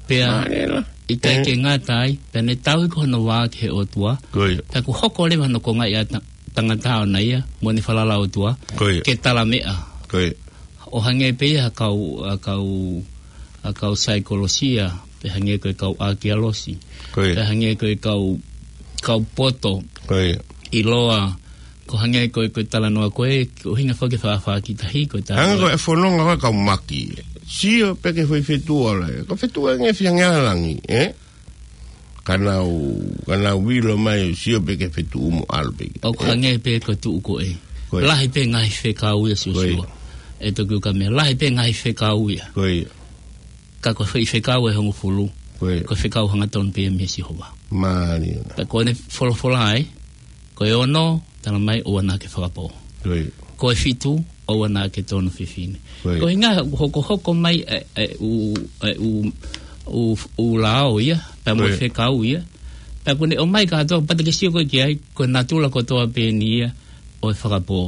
Pea, Mālie la. ʻikai ʻE. ke ngata ai, pea ne tauhi ko hono vā ki he ʻOtua. Ko ia. Pea kuo hoko leva hono konga ia ta-, tangata ʻoʻona ia, mo ʻene falala ʻOtua. Ko ia. Ke tala meʻa. Ko ia. ʻO hangē pē ia ha kau, ha kau, ha kau saikolosia, pe hangē ko e kau ʻākialosi, Ko ia. pe hangē ko e kau, kau poto, Ko ia. ʻiloa, ko hangē ko e, ko e talanoa ko ē, ko e ʻuhinga foki e fāfā ki tahi, ko e ta- Hanga ko e fononga ko e kau maki. Sio pē ki he foʻi fetuʻu ʻa e, ko e fetuʻu ange fihangea langi, ʻe? Ka nau, ka nau vilo mai ʻo sio pē ki he fetuʻu mo ʻalu pē ki ai. ʻOku hangē pē ko e tuʻu ko ē. Ko ia. Lahi pē ngaahi fekau ia Ko ia. Siosiua. ʻE Tokioka mea, lahi pē ngaahi fekau ia. Ko ia. Ka ko e foʻi fekau ʻe hongofulu. Ko ia. Ko e fekau hangatonu pē ia meia Sihova. Mālie. Pea ko ʻene folofola ē, ko e ono, tala mai ʻoua naʻa ke fakapō. Ko ia. Ko e fitu, ʻoua naʻa ke tono fefine. Ko ia. Ko e ʻuhinga hokohoko mai e, e, ʻū, e, ʻū, ʻū, ʻū lao ia, pea mo Ko ia. fekau ia. Pea kuo ne ʻomai kātoa, pea te ke sio ko ē ki ai, ko e natula kotoa pē eni ia, ʻo e fakapō.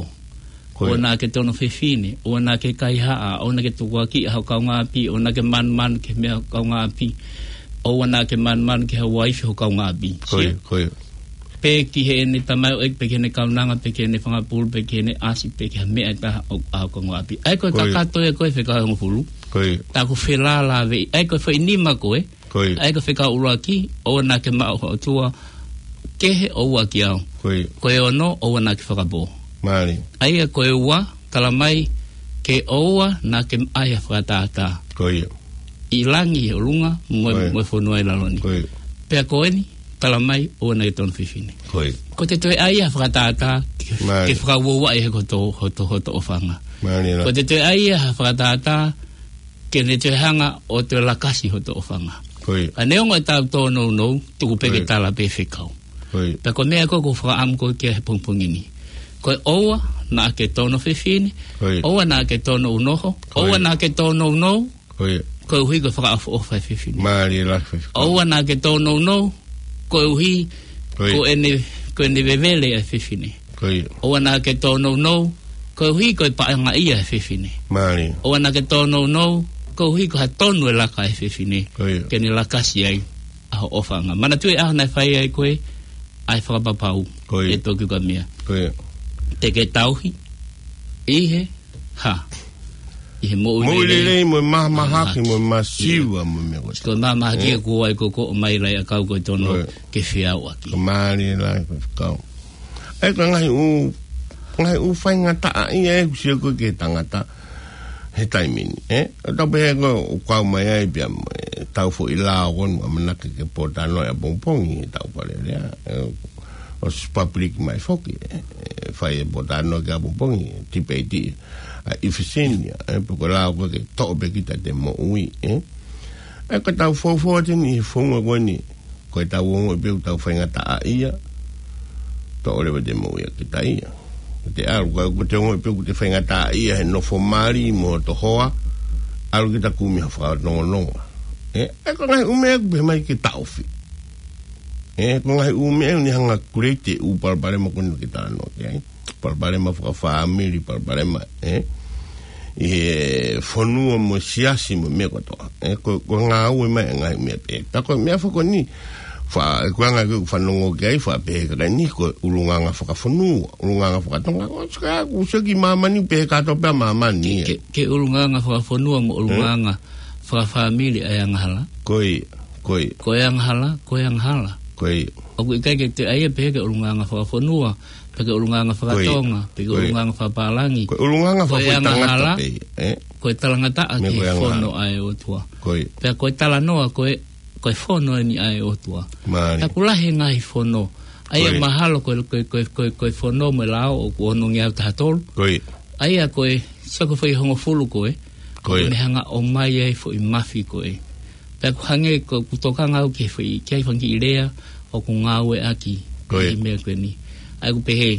Ko ia. ʻOua naʻa ke tono fefine, ʻoua naʻa ke kaihaʻa, ʻoua naʻa ke tukuakiʻi ho kaungāʻapi, ʻoua naʻa ke manumanu ki he meʻa ho kaungāʻapi, ʻoua naʻa ke manumanu ki he uaifi ho kaungāʻapi. Ko ia, Sio? ko ia. Pe ki heʻene tamaioʻeiki, pe ki heʻene kaunanga, pe ki heʻene fanga pulu, pe ki heʻene ʻasi, pe ki ha meʻa ʻe taha ʻo, ʻa ho kaungāʻapi. ʻA ia ko e Ko ia. kakato ia ko ē fekau ʻe hongofulu. Ko ia. Tā ko e felālāveʻi. ʻA ia ko e foʻi nima ko ē. Ko ia. ʻA ia ko e fekau ʻuluaki, ʻoua naʻa ke maʻu ha ʻotua kehe ʻoua ʻaki au. Ko ia. Ko e ono, ʻoua naʻa ke fakapō. Mālie. ʻA ia ko e ua, tala mai, ke ʻoua naʻa ke ʻai ha fakatātā. Ko ia. ʻI langi ʻi ʻolunga, mo, Ko ia. mo e fonua ʻi lalo ni. Ko ia. Pea ko eni, tala mai, ʻoua naʻa ke tono fefine. Ko ia. Ko te toe ʻai ha fakatātā, ke, Mālie. ke fakauaua ʻi he ko hoto, hoto, hoto ʻofaʻanga. Mālie la. Ko te toe ʻai ha fakatātā, ke ne toe hanga ʻo toe lakasi hoto ʻofaʻanga. Ko ia. Ka neongo ʻetau tōnounou, tuku pē Ko ia. ke tala pē fekau. Ko ia. Pea ko e meʻa ko ē ʻoku ou fakaʻamu ko ē ki ai he pongipongi ni. Ko e ʻoua naʻa ke tono fefine, Ko ia. ʻoua naʻa ke tono unoho, Ko ia. ʻoua naʻa ke tono unou, Ko ia. koeʻuhi ko e fakaʻofoʻofa e fefine. Mālie la fefine. ʻOua naʻa ke tono unou, koeʻuhi Ko ia. ko ʻene, ko ʻene vevele e fefine. Ko ia. ʻOua naʻa ke tōnounou, koeʻuhi ko e paʻanga ia e fefine. Mālie. ʻOua naʻa ke tōnounou, koeʻuhi ko ha tonu e laka e fefine. Ko ia. Ke ne lakasi ai ʻa ho ʻofaʻanga. Manatuʻi ʻa e ʻaho naʻe fai ai ko ē ʻa e fakapapau. Ko ia. ʻE Tokioka mea. Ko ia. Te ke tauhi ʻi he hā? ʻI he moʻui Moʻui lelei. lelei, mo e mahamahaki, Mahamahaki. mo e masiva, Ia. mo e meʻa ko ē. Ko e mahamahaki Ia. ʻoku ʻai ko ē ʻo mai lai ʻakau ko e tono Ko ia. ke feauʻaki. Ko mālie la, ko e fekau. ʻE, ko e ngaahi ʻū, ngaahi ʻū faingataʻaʻia ʻeku sio ko ē ki he tangata he taimi ni, ʻe? ʻO tau pehē ko ē ʻoku kau mai ai pea mo e tau foʻi lao ko eni ʻamanaki ke pōtalanoa ʻapongipongi he tau palelea. ʻE, ʻosi public mai foki, ʻe, ʻe fai e pōtalanoa ki ai ʻapongipongi, tipeiti, ʻa e ʻIfisini, ʻe, pe ko e lao ko ē ke toʻo pē kita ʻete moʻui, ʻe? ʻE, ko e tau fou fou atu eni he founga ko eni, Ko e tau ongoʻi pē ʻoku tau faingataʻaʻia, toʻo leva te mou ia kita ia. Ko te ʻalu, ko, ko te ongoʻi pē ʻoku te faingataʻaʻia he nofo mali mo hoto hoa, ʻalu kita kumi ha fakatongononga. Ē, ē, ko e ngaahi ʻū meʻa ʻoku pehē mai ke taʻofi. Ē, ko e ngaahi ʻū meʻa ʻoku ne hanga create e ʻū palopalema ko eni ke talanoa ki ai. Palopalema fakafāmili, palopalema, ē? ʻI he fonua mo e siasi mo e meʻa kotoa. Ē, ko, ko e ngāue mai e ngaahi meʻa pē. Tā ko e meʻa foki ko eni, fa-, ʻoku anga ʻeku fanongo ki ai, faʻa pehē ka eni, ko e ʻulungaanga fakafonua, ʻulungaanga fakatonga, ko e sika ʻoku sio ki māmani, pehē kātoa pē ʻa māmani, ē. Ke, ke ʻulungaanga fakafonua mo ʻulungaanga fakafāmili ʻa e angahala. Ko ia, ko ia. Ko e angahala, ko e angahala. Ko ia. ʻOku ʻikai ke te ʻai ia pehē ke ʻulungaanga fakafonua, pe ke ʻulungaanga fakatonga, pe ke ʻulungaanga fakapālangi. Ko e ʻulungaanga fakafoʻi tangata pē, ē? Ko e talangataʻa ki he fono ʻa e ʻOtua. Ko ia. Pea ko e talanoa, ko e, ko e fono eni ʻa e ʻOtua. Mālie. Pea ʻoku lahi e ngaahi fono. ʻA ia mahalo ko e, ko e, ko e, ko e, ko e fono mo e lao ʻoku ono ngeau taha tolu. Ko ia. ʻA ia ko e, sio ko e foʻi hongofulu ko ē. Ko ia. ʻOku ne hanga ʻo ʻomai ai foʻi mafi ko ē. Pea ʻoku hangē ko ʻeku tokanga au ki he foʻi, ki he fanga kiʻi lea ʻoku ngāueʻaki ʻi he meʻa ko eni. ʻA ia ʻoku pehē.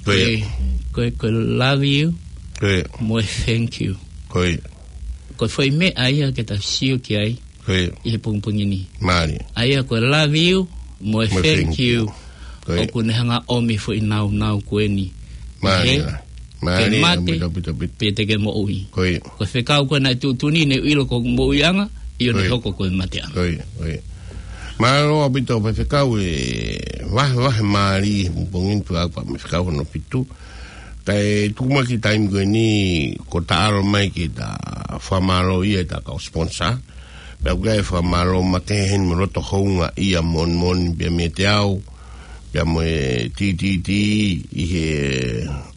Ko ia. Ko e, ko e, ko e love you. Ko ia. Mo e thank you. Ko ia. Ko e foʻi meʻa ia ke ta sio ki ai. Ko ia. ʻI he pongipongi ni. Mālie. ʻA ia ko e love you, mo e thank you. Ko ia. ʻOku ne hanga ʻomi foʻi naunau ko eni. Mālie. Mālie, mate, ʻaupito, ʻaupito, ʻaupito. Pea te ke moʻui. Ko ia. Ko e fekau ko ē naʻe tuʻutuʻuni ne u ʻilo ko e moʻuiʻanga, ʻio ne hoko ko e mateʻanga. Ko ia, ko ia. Mālō ʻaupito, pea fekau e vahevahe mālie, pongipongi ni pea ʻoku pea mo e fekau hono fitu. Kae tuku mai ki he taimi ko eni, ko e taʻalo mai ke ta fakamālō ia ʻa e kau sponsor. Pea ʻoku ʻi ai e fakamālō makehe heni mo e loto houngaʻia moʻoni moʻoni pea meiate au, pea mo e T T T ʻi he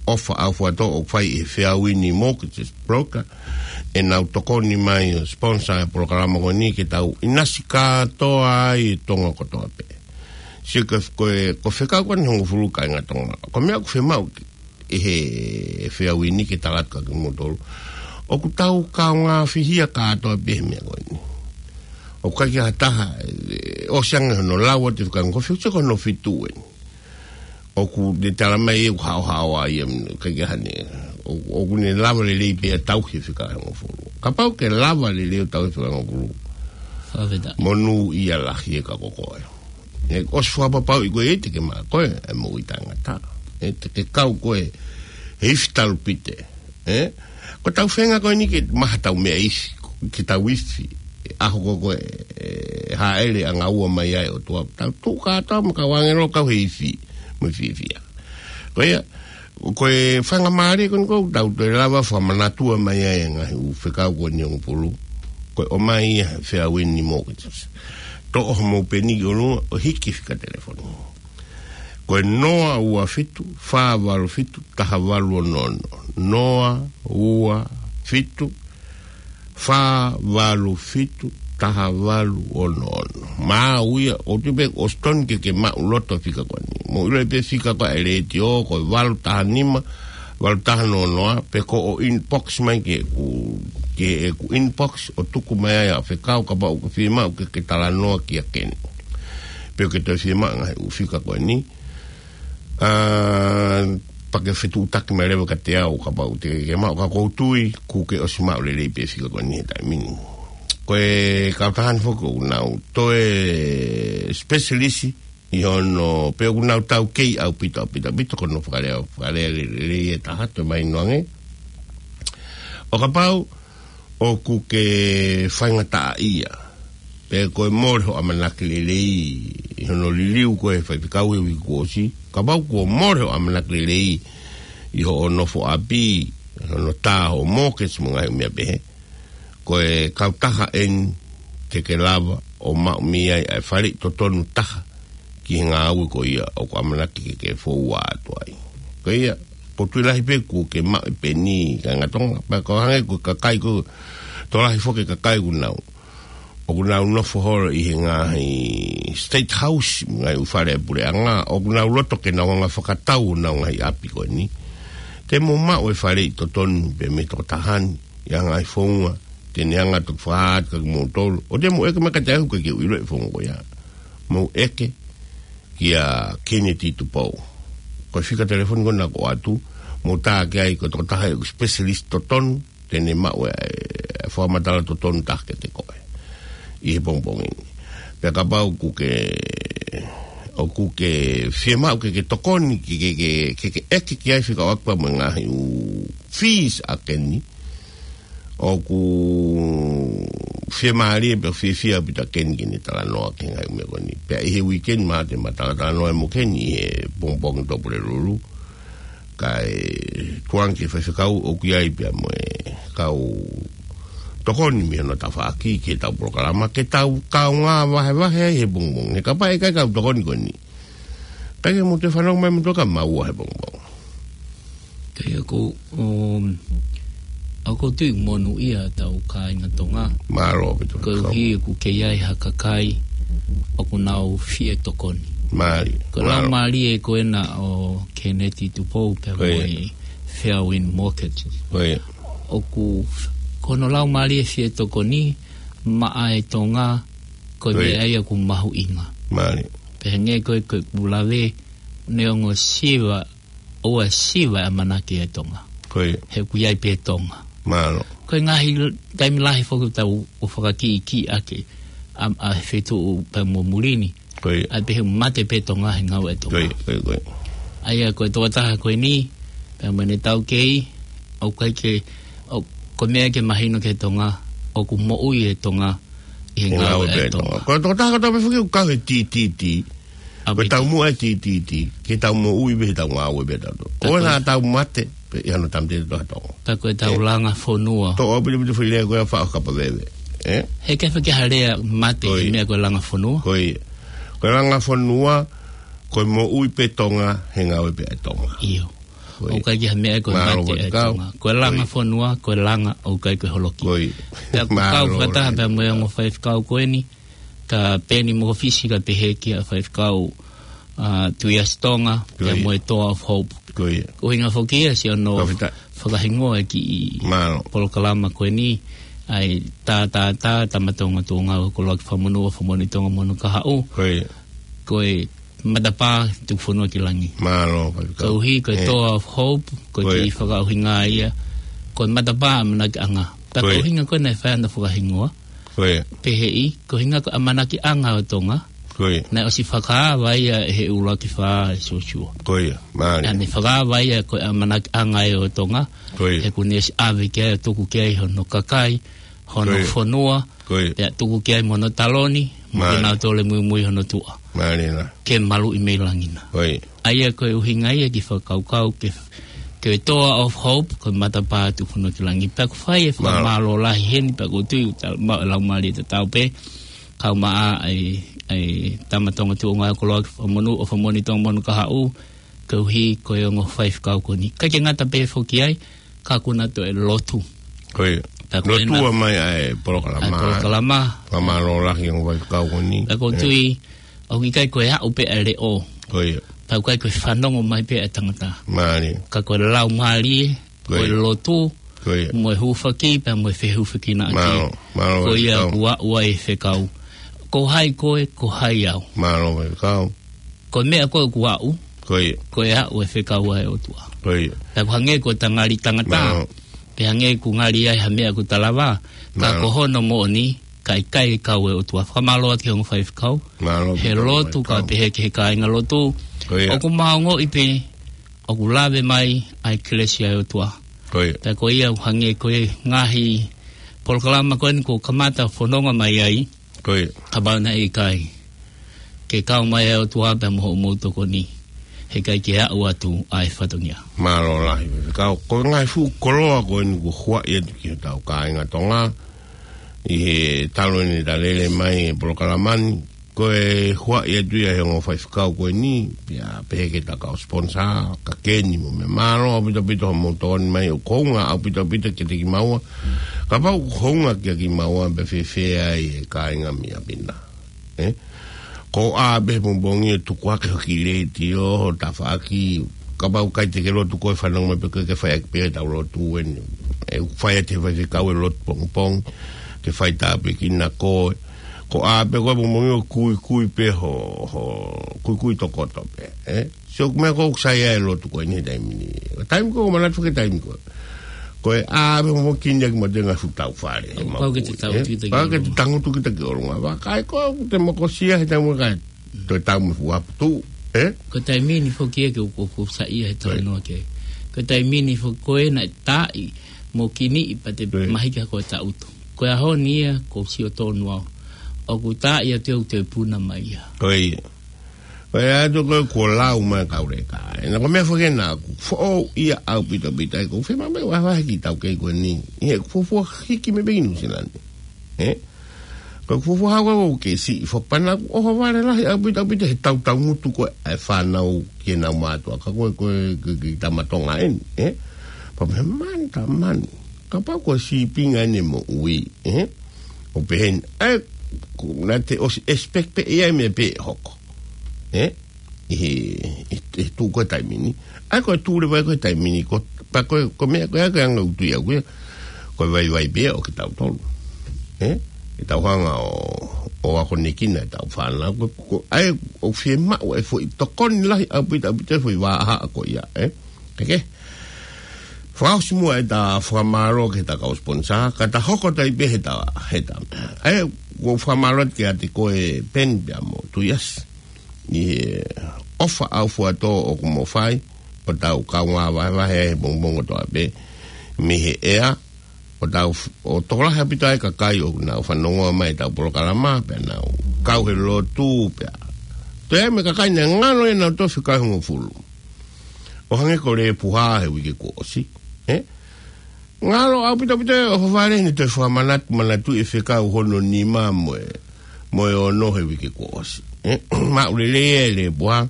ʻofa ʻaufuatō ʻoku fai ʻe he Feauini Mortgage Broker, ʻenau tokoni mai ʻo sponsor e polokalama ko eni ke tau ʻinasi kātoa ai e Tonga kotoa pē. Sio ko e, ko e fekau ko eni hongofulu kāinga Tonga. Ko e meʻa ʻoku fiemaʻu ʻe he Feauini ke tala atu kia kimoutolu. ʻOku tau kaungā fihia kātoa pē he meʻa ko eni. ʻOku ʻikai ke ʻi ai ha taha, ē, ʻosi ange hono lau atu e fekau hongofulu, sio ko hono fitu eni. ʻOku ne tala mai ʻoku haohaoa ia, ʻikai ke ʻi ai hano, ʻo-, ʻoku ne lava lelei pē ʻa e tauhi e fekau hongofulu. Kapau ke lava lelei ʻo tauhi e fekau hongofulu. Fakafetaʻi. Monūʻia lahi e ka ko koe. ʻE, ʻosi fakapapauʻi ko e ʻikai te ke maʻu ko e, e moʻui taʻengata. ʻE, te ke kau ko e, he ifi talupite. ʻE, ko ʻetau feinga ko eni ke maʻu haʻatau meʻa ifi, ke tau ifi. ʻAho ko ē ko e, ʻe, hāʻele ʻanga ua mai ai ʻOtua. Tau tuʻu kātoa mo e kau ʻāngelo kau he ifi, mo e fiefia. Ko ia, ko e faingamālie ko eni ʻoku tau toe lava fakamanatua mai ai e ngaahi ʻū fekau ko eni hongofulu. Ko e ʻomai ia he Feauini Mortgage. Toʻo homou peni ki ʻolunga ʻo hiki fika telefoni. Ko e noa ua fitu, fā valu fitu, taha valu ono ono. Noa ua fitu, fā valu fitu, taha valu ono ono. Maʻu ia, ʻoku ou tui pē ʻosi tonu ke ke maʻuloto e fika ko eni. Mou ʻilo pē fika ko ē ʻa e letiō, ko e valu taha nima, valu taha noa noa, pe ko hoʻo inbox mai ki heʻeku, ki heʻeku inbox, ʻo tuku mai ai haʻo fekau kapau ʻoku ke fiemaʻu ke ke talanoa kia Keni. Pe ʻoku ke toe fiemaʻu e ngaahi ʻū fika ko eni. ʻA, pea ke fetuʻutaki mai leva kiate au kapau te ke maʻu, ka ʻoku ou tui kuo ke ʻosi maʻu lelei pē e fika ko eni he taimi ni. Ko e kautaha ni foki ʻoku nau toe specialist ʻi hono, pe ʻoku nau taukei ʻaupito, ʻaupito, ʻaupito, ko hono fakalea, fakalea lelei e taha, toe mahino ange. ʻO kapau ʻoku ke faingataʻaʻia, pe ko e mole hoʻo ʻamanaki lelei ʻi hono liliu ko ē ʻe he faifekau he uike kuo ʻosi, kapau kuo mole hoʻo ʻamanaki lelei ʻi hoʻo nofo ʻapi, hono tā hoʻo mortgage mo e ngaahi meʻa pehē, ko e kautaha eni te ke lava ʻo maʻu mei ai ʻa e faleʻi totonu taha ki he ngāue ko ia ʻoku ʻamanaki ke ke foua atu ai. Ko ia, ʻoku ou tui lahi pē kuo ke maʻu e peni kāinga Tonga, pea ʻoku hangē ko e kakai ko ē, tokolahi foki e kakai ʻoku nau, ʻoku nau nofo holo ʻi he ngaahi State House, ngaahi ʻū fale ʻa e puleʻanga, ʻoku nau loto ke nau hanga ʻo fakatau honau ngaahi ʻapi ko eni. Te mou maʻu e faleʻi totonu pē mei he tokotaha ni, ʻi he ngaahi founga te ne hanga ʻo fakahā atu kia kimoutolu. ʻOua te mou ʻeke mai kiate au he ʻoku ʻikai ke u ʻilo e founga ko ia. mou ʻeke kia Kennedy Tupou. Ko e fika telefoni ko ena ʻoku ʻoatu, mou tā ki ai ko e tokotaha ʻoku specialist totonu, te ne maʻu e, e fakamatala totonu taha kiate koe ʻi he pongipongi ni. Pea kapau ʻoku ke, ʻoku ke fiemaʻu ke ke tokoni, ke, ke, ke, ke, ke ʻeke ki ai fekauʻaki pea mo e ngaahi ʻū fees ʻa Keni, ʻoku fiemālie pea fiefia ʻaupito ʻa Keni ke ne talanoa ki he ngaahi ʻū meʻa ko eni. Pea ʻi he weekend mahalo te ma talatalanoa mo Keni ʻi he pongipongi Tuʻapulelulu. Kae tuku ange ki he faifekau ʻoku ʻi ai pea mo e kau tokoni mei hono tafaʻaki ki heʻetau polokalama, ke tau kaungā vahevahe ai he pongipongi. He kapau ʻe ʻikai ke tau tokoni ko eni, ʻikai ke mou toe fanongo mai moutolu kia maua he pongipongi. Ka ia ko, um, ʻoku ou tui monūʻia ʻetau kāinga Tonga. Mālō ʻaupito. Koeʻuhi ʻoku kei ʻi ai ha kakai ʻoku nau fie tokoni. Mālie. Ko e laumālie ko ena ʻo Kennedy Tupou pea mo e Fairwind Mortgage. Ko ia. ʻOku, ko hono laumālie fie tokoni maʻa e Tonga, ko e meʻa ia ʻoku mahuʻinga. Mālie. Pea hangē ko e, ko ʻeku lave, neongo siva, ʻoua siva e ʻamanaki e Tonga. Ko ia. He ʻoku ʻi ai pē Tonga. Mālō. Ko e ngaahi taimi lahi foki ʻoku tau ō ʻo fakakiʻikiʻi ʻaki ʻa, ʻa e feituʻu pea mo muli ni. Ko ia. ʻA e pehē mate pē Tonga he ngāue e Tonga. Ko ia, ko ia, ko ia. ʻA ia ko e tokotaha ko eni, pea mo ʻene taukei, ʻoku ʻikai ke, ʻo, ko e meʻa ke mahino ki he Tonga, ʻoku moʻui e Tonga ʻi he ngāue e Tonga. Ko e tokotaha ko e tau pē foki ʻoku kau he T T T. Ko e taumuʻa e T T T, ke tau moʻui pē he tau ngāue pē tautolu. Ko e na tau mate, pea ʻi hano tamte to ha Tonga. Ka ko e tau langa fonua. Toʻo ʻaupito ʻaupito foʻi lea ko e faʻo kapa veve. Ē? He ke feke ha lea mate he meʻa ko e langa fonua. Ko ia. Ko e langa fonua, ko e moʻui pē Tonga, he ngāue pē e Tonga. ʻIo. Ko ia. ʻOku ʻikai ke ha meʻa ko e mate e Tonga. Ko e langa fonua, ko e langa ʻoku ʻikai ko e holoki. Ko ia. Pea ʻoku kau fakataha pea mo e ongo faifekau ko eni, ka Peni Mokofisi ka pehē kia faifekau, ʻa, Tuiasi Tonga, pea mo e Toa of Hope. Ko ia. Ko e ʻuhinga foki ia siʻono fakahingoa e kiʻi polokalama ko eni, ʻa e tā, tā, tā, Tama Tonga Tuʻunga ʻo Koloaki Fakamonū ʻo Fakamoʻoni Tonga mo hono kahaʻu. Ko ia. Ko e matapā tuku fonua ki langi. Mālō, faifekau. Koeʻuhi, ko e Toa of Hope, ko e kiʻi fakaʻuhinga ia, ko e matapā ʻamanaki ʻanga. Ka ko e ʻuhinga ko ē naʻe fai hono fakahingoa. Ko ia. Pehē, ko e ʻuhinga ko e ʻamanaki ʻanga ʻo Tonga. Ko ia. Naʻe ʻosi fakaava ia ʻe he ʻuluaki fā ʻe Siosiua. Ko ia, mālie. Naʻe fakaava ia ko e ʻamanaki ʻanga ʻo Tonga. Ko ia. He kuo ne ʻosi ʻave ki ai ʻo tuku ki ai hono kakai, hono fonua, pea tuku ki ai mo hono taloni, mo kinautolu ʻe muimui hono tuʻa. Mālie na. Ke maluʻi mei langi na. ʻA ia ko e ʻuhinga ia ki he fakakaukau ke, ke Toa of Hope, ko e matapā tuku fonua ki langi. Pea ʻoku fai e fakamālō lahi heni, pea ʻoku ou tui ʻoku ta-, ma-, laumālie tatau pē, kau maʻa ʻa e, ʻa e Tama Tonga Tuʻunga ʻo Koloaki Fakamonū ʻo Fakamoʻoni Tonga mo hono kahaʻu, koeʻuhi ko e ongo faifekau ko eni. ʻIkai ke ngata pē foki ai, ka kuo na toe lotu. Ko ia. Lotua mai ʻa e polokalama. ʻA e polokalama. Fakamālō lahi ongo faifekau ko eni. Pea ʻoku ou tui, ʻoku ʻikai ko e aʻu pē ʻa e leʻo. Ko ia. Pea ʻoku ʻikai ko e fanongo mai pē ʻa e tangata. Mālie. Ka ko e laumālie, ko e lotu, mo e hūfaki, pea mo e fehūfakinaʻaki. Mālō, mālō, ko ia faifekau. Kuo aʻu ai e fekau. Ko hai koe, ko hai au. Mālō, faifekau. Ko e meʻa ko ē kuo aʻu, ko e aʻu e fekau ʻa e ʻOtua. Ko ia. Pea ʻoku hangē ko e tangali tangata, pea hangē ʻoku ngali ai ha meʻa ʻoku ta lava, ka ko hono moʻoni, ka ʻikai kau e ʻOtua. Fakamālō atu ki he ongo faifekau, he lotu ka pehē ki he kāingalotu. Ko ia. ʻOku ma ongoʻi pē, ʻoku lave mai ʻa e kelesi ʻa e ʻOtua. Ko ia. Pea ko ia ʻoku hangē ko e ngaahi polokalama ko eni kuo kamata fononga mai ai. Ko ia. Kapau naʻe ʻikai ke kau mai ʻa e ʻOtua pea mo hoʻomou tokoni, heʻikai ke aʻu atu ʻa e fatongia. Mālō lahi, faifekau. Ko e ngaahi fuʻu koloa ko eni kuo huaʻi atu ki hotau kāinga Tonga, ʻi he talu eni ʻeta lele mai e polokalama ni, ko e huaʻi atu ia he ongo faifekau ko eni, pea pehē ki he kau sponsor, ka Keni mo meʻa. Mālō ʻaupito ʻaupito hoʻomou tokoni mai, ʻoku hounga ʻaupito ʻaupito kiate kimaua. Kapau ʻoku hounga kiate kimaua, pea fēfē ai e kāinga mei ʻapi na. Ē? Ko ā pē he pongipongi ʻo tuku hake hoʻo kiʻi letiō, ho tafaʻaki, kapau ʻoku ʻikai te ke lotu koe, fanongo mai pē koe ke fai ʻaki pē ʻetau lotu eni. ʻE fai atu ʻe he faifekau e lotu pongipongi, ke fai tāpuekina koe. Ko ʻā pē ko e momongi ʻo kuikui pē ho, ho, kuikui tokoto pē, ē? Sio, ko e meʻa ʻoku sai ai e lotu ko eni he taimi ni. Taimi ko ē, manatu ki he taimi ko ē. Ko e ʻā pē momongi ki he ngaahi fuʻu tau fale, he Pau ke te moʻui, tau ē? Kita ki Pau ke te ʻolunga. Tangutu kita ki ʻolunga. Vakai ko ē, te mokosia he taimi ko ē, toe tau mo fuaputu, ē? Ko e taimi ni foki ia ke u, u, u saiʻia he Right. talanoa ki ai. Ko e taimi ni foki ko ē naʻe taaʻi mo kiniʻi pea te Right. mahiki ko e tautu. Ko e ʻaho ni ia, ʻoku ou sio tonu au. ʻOku taaʻi atu ʻoku te puna mai ia. Ko ia. Ko ia atu ko ē kuo lau mai kauleka. ʻE na ko e meʻa foki ena ʻoku foʻou ia ʻaupito pito ai ʻoku ou fiemaʻu mai vahevahe ki he taukei ko eni. ʻI he fuofua hiki mei pē ki Nuʻu Sila ni. Ē? Ko e fuofua hau ʻoku ke siʻi fo pana ʻohovale lahi ʻaupito pito he tautau ngutu ko ē ʻa e fānau ki heʻenau mātuʻa. Ka ko e, ko e, ko e, ko e tama Tonga eni, ē? Pea pehē mani, tā mani. Kapau ko e sīpinga eni moʻui, ē? ʻO pehē ni, ē, ko, naʻa te ʻosi expect pē ʻe ʻi ai e meʻa pē ʻe hoko. Ē? ʻI he, ʻi he, ʻi he tuʻu ko ē taimi ni. ʻA ia ko e tuʻu leva ko ē taimi ni, ko, pea ko e, ko e meʻa ko ē ko e anga ʻeku tui au ko ia, ko e vaivai pē ʻo kitautolu. Ē? Ke tau hanga ʻo, ʻo akonekina ʻetau fānau. Ko, ko, ʻa ia ʻoku fiemaʻu e foʻi tokoni lahi ʻaupito, ʻaupito e foʻi vahaʻa ko ia, ē? Eke? Fakaʻosi muʻa ʻeta fakamālō ki heʻeta kau sponsor, ka ta hoko atu ai pē heʻeta, heʻeta. ʻA ia, ʻoku ou fakamālō atu kiate koe Peni pea mo Tuiasi. ʻI he ʻofa ʻaufuatō ʻoku mo fai, ʻo tau kaungā vahevahe he pongipongi kotoa pē, mei he ʻea, ʻo tau f-, ʻo tokolahi ʻaupito ai e kakai ʻoku nau fanongoa mai ʻetau polokalama, pea nau kau he lotu, pea. Toe ai mo e kakai naʻe ngalo ʻenau tofi kae hongofulu. ʻO hangē ko Lepuha he uike kuo ʻosi, ē? Ngalo ʻaupito pito ʻohovale ni toe fakamanatu, manatu e fekau hono nima mo e, mo e ono he uike kuo ʻosi. Ē, maʻu lelei e Lepuha.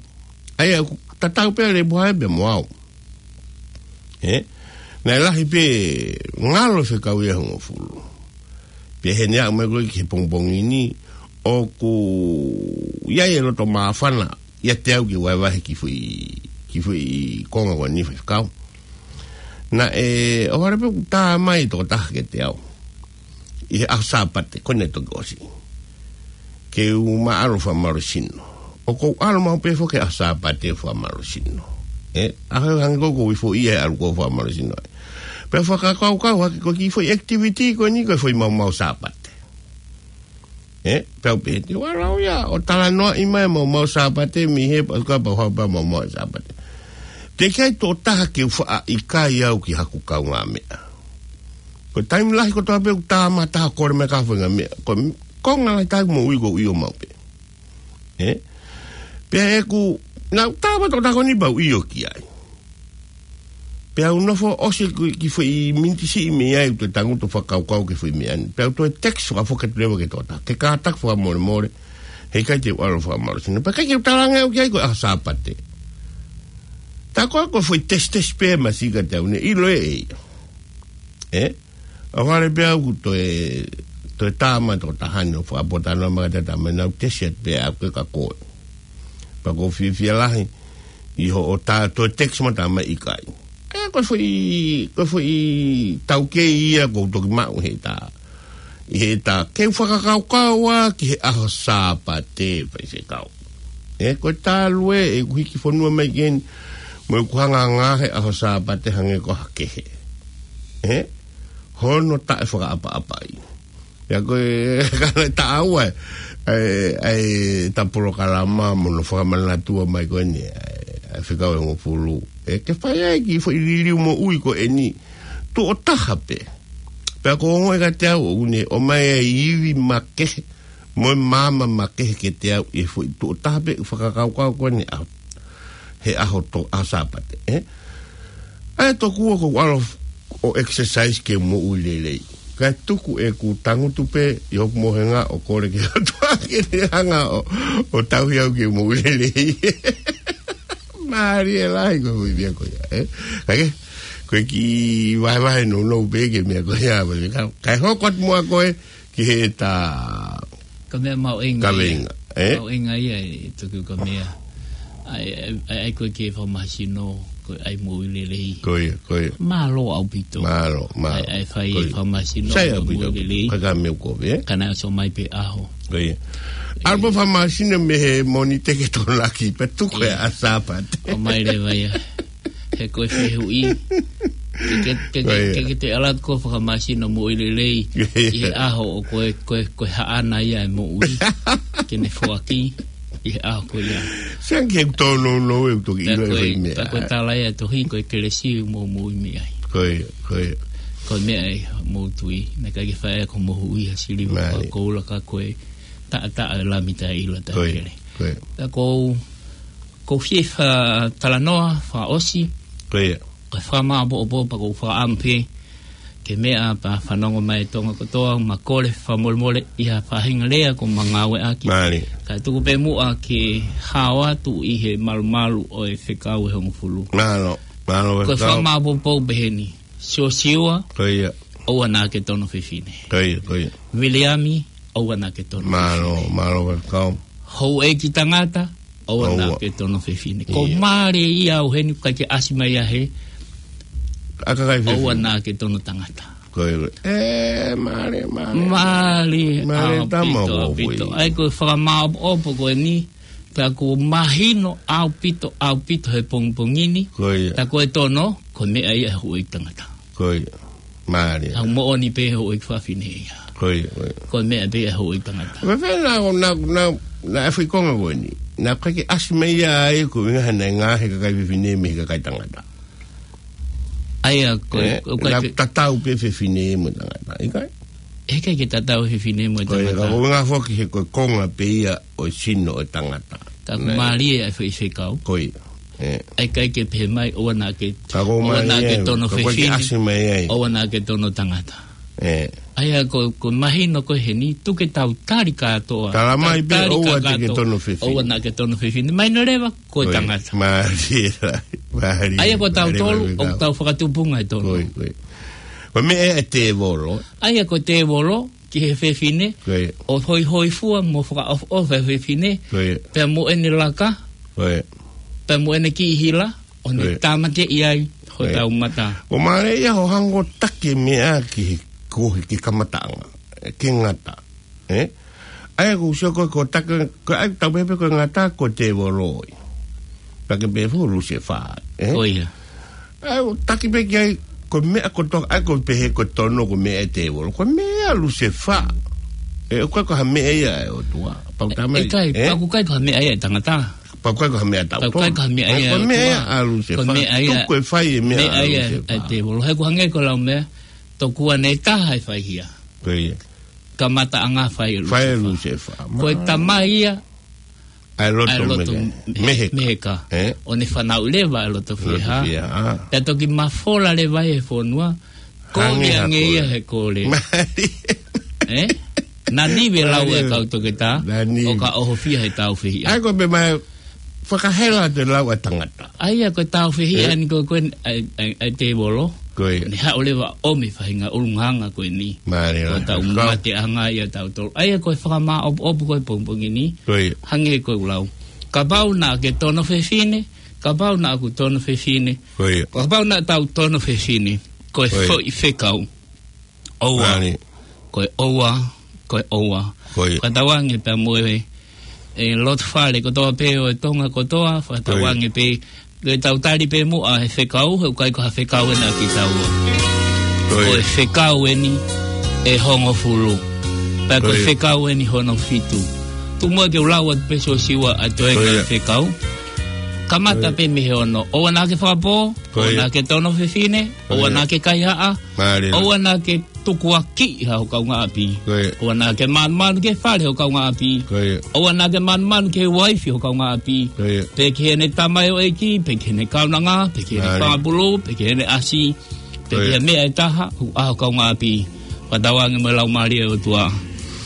ʻA ia, tatau pē Lepuha pea mo au. Ē, naʻe lahi pē ngalo fekau ia hongofulu. Pea heni aʻu mai ko ē ki he pongipongi ni, ʻoku ʻi ai e loto māfana, ʻiate au ke vahevahe ki he foʻi, ki he foʻi konga ko eni foʻi fekau. Naʻe, ʻohovale pē ʻoku tā mai e tokotaha kiate au. ʻI he ʻaho Sāpate, ko eni toki ʻosi. Ke u ma ʻalu ʻo fakamālohisino. ʻOku ou ʻalu maʻu pē foki he ʻaho Sāpate ʻo fakamālohisino. Ē, ʻaho hangē ko ē ʻoku ou ʻi foʻi ʻalu ko ē ʻo fakamālohisino. Pea fakakaukau hake ko e kiʻi foʻi activity ko eni ko e foʻi maumau Sāpate. Ē, pea u pehē te u ʻalu au ia ʻo talanoaʻi mai maumau Sāpate mei he pea ka pau hau pea maumau Sāpate. Teʻeki ai tokotaha ke u faʻa ʻikai au ki haku kaungāmeʻa. Ko e taimi lahi kotoa pē ʻoku tā mai ha taha ʻo kole mai ki he faʻahinga meʻa. Ko e konga lahi taha ʻeku moʻui ʻoku ou ʻio maʻu pē. Ē? Pea ʻeku, naʻa ku tā mai tokotaha ko eni pea u ʻio ki ai. Pea u nofo ʻosi ki, ki he foʻi miniti siʻi mei ai ʻoku ou tangutu ʻo fakakaukau ki he foʻi meʻa ni. Pea u toe text fakafoki atu leva ki he tokotaha. Ke kātaki fakamolemole. Heʻikai te u ʻalu ʻo fakamālohisino. Pea ʻikai ke u talaange au ki ai ko e ʻaho Sāpate. Tā ko ē ko e foʻi tesitesi pē masiʻi kiate au ne ʻilo ʻe ia. Ē? ʻOhovale pē au ʻoku toe, toe tā mai e tokotaha ni ʻo fakapotano mai kiate au, tā mai naʻa ku tesi atu pē au ki he ka ko ē. Pea ʻoku ou fiefia lahi ʻi hoʻo tā toe text mai tā mai ʻikai. Ē, ko e foʻi, ko e foʻi taukei ia ʻoku ou toki maʻu he tā. ʻI he tā, ke u fakakaukau ā ki he ʻaho Sāpate, faifekau. Ē, ko e talu ē ʻeku hiki fonua mai ki heni, mo ʻeku hanga ʻo ngāue he ʻaho Sāpate hangē ko ha kehe. Ē? Hono taʻefakaʻapaʻapaʻi. Pea ko e, ka naʻe taʻau ʻa e, ʻa e, ʻa e ta polokalama mo hono fakamanatua mai ko eni, ʻa e, ʻa e fekau ʻe hongofulu. Ē, ke fai ai e kiʻi foʻi liliu moʻui ko eni. Tuʻo taha pē. Pea ʻoku ongoʻi kiate au ʻoku ne ʻomai e ivi makehe mo e maama makehe kiate au ʻi he foʻi tuʻo taha pē fakakaukau ko eni ʻa, he ʻaho to, ʻaho Sāpate, ē? ʻA ia tokua ʻoku ou ʻalu ʻo exercise ke moʻui lelei. Kae tuku ʻeku tangutu pē ʻi hoku mohenga ʻo kole ki he ʻOtua ke ne hanga ʻo, ʻo tauhi au ke moʻui lelei. Mālie lahi ko e foʻi meʻa ko ia, ē? Kae kehe, ko e kiʻi vahevahe nounou pē ki he meʻa ko ia, kae, kae hoko atu muʻa ko ē ki heʻeta Ka meʻa mahuʻinga ia. Kaveinga, ē? Mahuʻinga ia ʻi he tuku ka meʻa. ʻAi, ʻai, ʻai, ʻai ko e ke fakamālohisino. ko e ʻai moʻui lelei. Ko ia, ko ia. Mālō ʻaupito. Mālō, mālō. ʻAi, ʻai fai e fakamāsino moʻui lelei. Sai ʻaupito. Ka ka me u kovi, ē? Ka naʻe ʻosi mai pē ʻaho. Ko ia. ʻAlu pē fakamāsino mei he Mōnite ki he Tokonaki, pea tuku e ʻaho Sāpate. ʻOmai leva ia. He ko e fehuʻi. Ke, ke, ke, ke, ke te ʻalu atu ʻo fakamāsino moʻui lelei ʻi he ʻaho ʻoku ko e, ko e, ko e haʻana ia e moʻui. Ke ne foaki ʻi he ʻaho ko ia. Sai ange ke u tōnounou ʻeku toki ʻilo e foʻi meʻa. Ka ko e tala ia tohi, ko e kelesi ʻoku mou moʻui mei ai. Ko ia, ko ia. Ko e meʻa ia ʻoku mou tui. Naʻe ʻikai ke fai ʻe koe moʻui ha siliva pe koula ka ko e taʻataʻa e Lami taʻeʻilo taʻekele. Ko ia, ko ia. Ka ko u Ko u fie fakatalanoa fakaʻosi. Ko ia. Ko e fakamāʻopoʻopo pea ko u fakaʻamu pē ke meʻa pea fanongo mai e Tonga kotoa, ma kole fakamolemole ʻi ha faʻahinga lea ʻoku ma ngāueʻaki. Mālie. Ka tuku pē muʻa ke hao atu ʻi he malumalu ʻo e fekau ʻe hongofulu. Mālō, mālō. Ko e fakamāʻopoʻopo peheni. Siosiua, ko ia, ʻoua naʻa ke tono fefine. Ko ia, ko ia. Viliami, ʻoua naʻa ke tono fefine. Mālō, mālō fekau. Houʻeiki tangata, ʻoua naʻa ke tono fefine. Ko ia. Mālie ia ʻo heni ʻoku ʻikai ke ʻasi mai ia he ʻa e kakai fefine. ʻOua naʻa ke tono tangata. Ko ia. ʻE, mālie, mālie. Mālie, mālie ʻaupito, tama ʻaupito. ʻAi ko e fakamāʻopoʻopo ko eni, pea ʻoku mahino ʻaupito, ʻaupito he pongipongi ni. Ko ia. Pea ko e tono, ko e meʻa ia ʻa e houʻeiki tangata. Ko ia. Mālie. ʻA e moʻoni pē houʻeiki fefine ia. Ko ia, ko ia. Ko e meʻa pē ʻa e houʻeiki tangata. Ko e fē naʻa, naʻa, naʻa, naʻe fai konga ko eni. Naʻe ʻikai ke ʻasi mai ia ai ko e ʻuhinga he naʻe ngaahi e kakai fefine mei he kakai tangata. ʻAi ia ko e, ʻe, ko e naʻe tatau pē fefine mo tangata, ʻikai? ʻIkai ke tatau fefine mo tangata. Ko ia, ka ko e ʻuhinga foki he ko e konga pē ia ʻo e sino ʻo e tangata. Ka ʻoku mālie ʻa e foʻi fekau. Ko ia. ʻE. ʻAi ʻikai ke pehē mai, ʻoua naʻa ke, ka ko e ʻoua naʻa ke tono fefine, ʻoua naʻa ke tono tangata. ʻE. ʻAi ia ko, ko e mahino ko ē heni, tuku ke tau tali kātoa. Tala mai pē, ʻoua te ke tono fefine. ʻOua naʻa ke tono fefine. Mai na leva, ko e tangata. Mālie, mālie. ʻAi ia ko tautolu, ʻoku tau fakatupunga e tono. Ko ia, ko ia. Ko e meʻa ʻa e tēvolo. ʻAi ia ko e tēvolo, ki he fefine, ko ia, ʻo hoihoifua mo fakaʻofoʻofa e fefine, ko ia, pea mo ʻene laka, ko ia, pea mo ʻene kiʻi hila, ʻo ne, ko ia, tāmateʻi ai hotau mata. Ko ia. Ko e mālie ia hoʻo hanga ʻo taki e meʻa ki he, ko e, ki he kamataʻanga, ʻe, ki he ngata, ʻe? ʻAi ia ko u sio ko e, ko e taki, ko e ʻai tau pehē pē ko e ngata ko e tēvolo ia. Pea ke pehē foki Lusefā, ʻe? Ko ia. ʻAi, ʻo taki pē ki ai, ko e meʻa kotoa, ʻai ko e pehē ko e tono ko e meʻa ʻa e tēvolo. Ko e meʻa ʻa Lusefā. ʻE, ʻoku ʻikai ko ha meʻa ia ʻa e ʻOtua. Pau tā mai, ʻikai, ʻe? Pau ʻoku ʻikai ko ha meʻa ia ʻa e tangata. Pau ʻoku ʻikai ko ha meʻa ʻa tautolu. Pau ʻoku ʻikai ko ha meʻa ia ʻa e ʻOtua. Ko e meʻa ʻa Lusefā. Ko e meʻa ia, tuku e fai e meʻa ʻa Lusefā. Meʻa ia ʻa e tēvolo. He ʻoku hangē ko e lau meʻa, tokua naʻe taha e fai hia. Ko ia. Kamataʻanga fai ʻe Lusefā. Fai ʻe Lusefā. Ko e tamai ia ʻa e loto, ʻa e loto mehe-, meheka. Meheka. ʻE? ʻO ne fanauʻi leva ʻa e loto, loto fiha. Fiha. Pea toki mafola leva he fonua. Hangē ha kole. Kole ange ia he kole. Mālie. ʻE? Nanive lau e kau toketā. Nanive. ʻO ka ʻohofia he tāufehiʻa. ʻAi ko e pehē mai fakahela atu e lau ʻa e tangata. ʻAi ia ko e tāufehiʻa, ʻe, ni ko e, ko e, ʻa e, ʻa e, ʻa e tēvolo. Ko ia. Ne haʻu leva ʻo ʻomi e faʻahinga ʻulungaanga ko eni. Mālie, ko e tau, kau, mateʻanga ia tautolu. ʻAi ia ko e fakamāʻopoʻopo ko e pongipongi ni. Ko ia. Hangē ko e lau. Kapau naʻa ke tono fefine, kapau naʻa ku tono fefine. Ko ia. Kapau naʻa tau tono fefine. Ko e, ko ia, foʻi fekau. ʻOua. Mālie. Ko e ʻoua, ko e ʻoua. Ko ia. Fakatauange pea mo e, e loto fale kotoa pē ʻo e Tonga kotoa, fakatauange, ko ia, pē, ke tau tali pē muʻa he fekau, he ʻoku ʻikai ko ha fekau ena kitaua. Ko ia. Ko e fekau eni ʻe hongofulu. Pea ko e, ko ia, fekau eni hono fitu. Tuku muʻa ke u lau atu pē Siosiua ʻa e toenga, ko ia, fekau. Kamata, ko ia, pē mei he ono. ʻOua naʻa ke fakapō, ko ia, ʻoua naʻa ke tono fefine, ko ia, ʻoua naʻa ke kaihaʻa, mālie, ʻoua naʻa ke tukuakiʻi ho kaungāʻapi. Ko ia. ʻOua naʻa ke manumanu ki he fale ho kaungāʻapi. Ko ia. ʻOua naʻa ke manumanu ki he uaifi ho kaungāʻapi. Ko ia. Pe ki heʻene tamaioʻeiki, pe ki heʻene kaunanga, pe ki heʻene, mālie, fanga pulu, pe ki heʻene ʻasi, pe, ko ia, ki he meʻa ʻe taha, ʻoku ʻa ho kaungāʻapi. Fakatauange mo e Laumālie ʻo e ʻOtua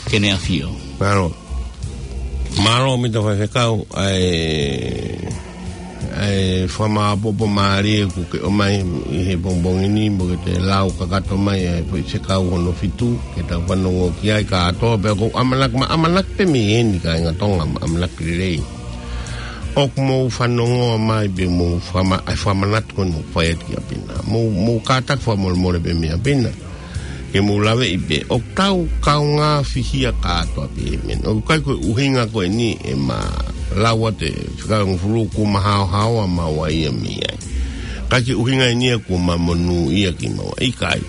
ke ne ʻafio. Mālō. Mālō ʻaupito faifekau, ʻa e, ʻa e fakamāʻopoʻopo mālie kuo ke ʻomai ʻi he pongipongi ni, mo ke toe lau kakato mai ʻa e foʻi fekau hono fitu, ke tau fanongo ki ai kātoa, pea ʻoku ou ʻamanaki, ma ʻamanaki pē mei heni kāinga Tonga, ma ʻamanaki lelei. ʻOku mou fanongoa mai pē mou fama-, ʻa e fakamanatu ko eni ʻoku fai atu ki ʻApina. Mou, mou kātaki fakamolemole pē mei ʻApina. Ke mou laveʻi pē, ʻoku tau kaungā fihia kātoa pē he meʻa ni. ʻOku ʻikai ko e ʻuhinga ko eni ʻema lau atu e fika hongofulu kuo ma haohaoa maua ia mei ai. ʻIkai ke ʻuhinga eni ia kuo ma monūʻia kimaua. ʻIkai.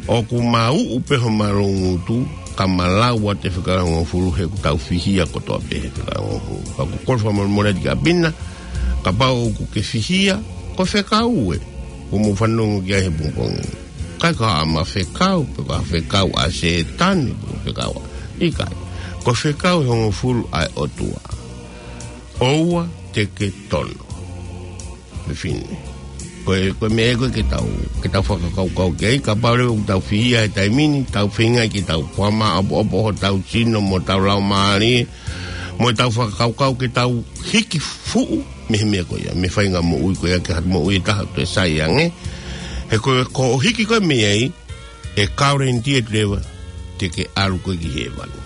ʻOku ma uʻu pē homa loungutu, ka ma lau atu e fika hongofulu he ʻoku tau fihia kotoa pē he fika hongofulu. Ka ʻoku ou kole fakamolemole atu ki ʻApina, kapau ʻoku ke fihia, ko e fekau ē, ʻoku mou fanongo ki ai he pongipongi. ʻIkai ko haʻama fekau, pe ko ha fekau ʻa Sētane, pe ko ha fekau ʻa, ʻikai. Ko e fekau ʻe hongofulu ʻa e ʻOtua. ʻOua te ke tono. Fefine. Ko e, ko e meʻa ē ko ē ke tau, ke tau fakakaukau ki ai, kapau leva ʻoku tau fihia he taimi ni, tau feinga ke tau fakamāʻopoʻopo hotau sino mo hotau laumālie, mo ʻetau fakakaukau ke tau hiki fuʻu mei he meʻa ko ia, mei he faʻahinga moʻui ko ia ke hatu moʻui ʻe taha ʻo toe sai ange. He ko e, ko hoʻo hiki ko ē mei ai, ʻe guarantee atu leva te ke ʻalu koe ki hēvani.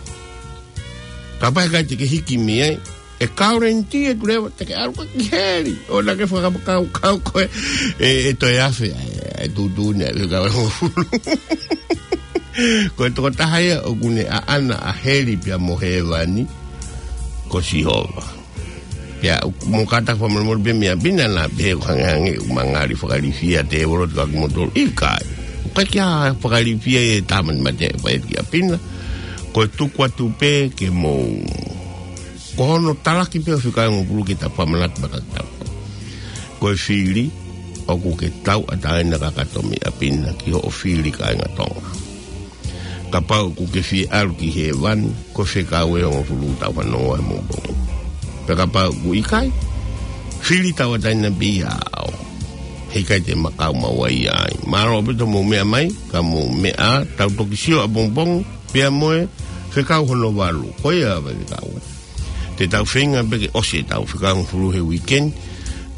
Kapau ʻe ʻikai te ke hiki mei ai, ʻe guarantee atu leva te ke ʻalu koe ki heli. ʻOua naʻa ke fakakaukau ko ē, ʻe, ʻe toe afe ʻa e, ʻa e tuʻutuʻuni ʻa e fika hongofulu. Ko e tokotaha ia ʻoku ne ʻaʻana ʻa heli pea mo hēvani, ko Sihova. Pea ʻoku mou kātaki fakamolemole pē mei ʻApina naʻa pehē ʻoku hangehangē ʻoku ma ngali fakailifia tēvolo ʻo tuku ʻaki kimoutolu. ʻIkai. ʻOku ʻikai ke ʻi ai ha fakailifia ʻi he Tamai Matea ʻe fai atu ki ʻApina. Ko e tuku atu pē ke mou, ko hono talaki pē ʻo e fika hongofulu ke ta fakamanatu maʻatautolu. Ko e fili ʻoku ke tauʻatāina kakato mei ʻApina ki hoʻo fili kāinga Tonga. Kapau ʻoku ke fie ʻalu ki hēvani, ko e fekau ē ʻe hongofulu ʻoku tau fanongoa he pongipongi. Pea kapau ʻoku ʻikai, fili tauʻatāina pē ia ʻaʻau. He ʻikai te ma kau maua ia ai. Mālō ʻaupito hoʻomou meʻa mai, ka mou meʻa ā, tau toki sio ʻapongipongi, pea mo e fekau hono valu. Ko ia ʻa e fekau ē. Te tau feinga pē ke ʻosi ʻetau fika hongofulu he weekend.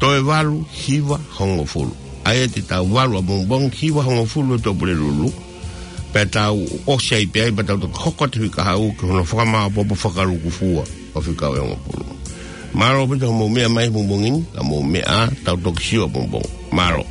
Toe valu, hiva, hongofulu. ʻA ia te tau valu ʻapongipongi, hiva, hongofulu ʻo Tuʻapulelulu. Pea tau ʻosi ai pē ai, pea tau toki hoko atu he kahaʻu ki hono fakamāʻopoʻopo fakalūkufua ʻo e fekau ʻe hongofulu. Mālō ʻaupito hoʻomou meʻa mai he pongipongi ni, ka mou meʻa ā, tau toki sio ʻapongipongi. Mālō.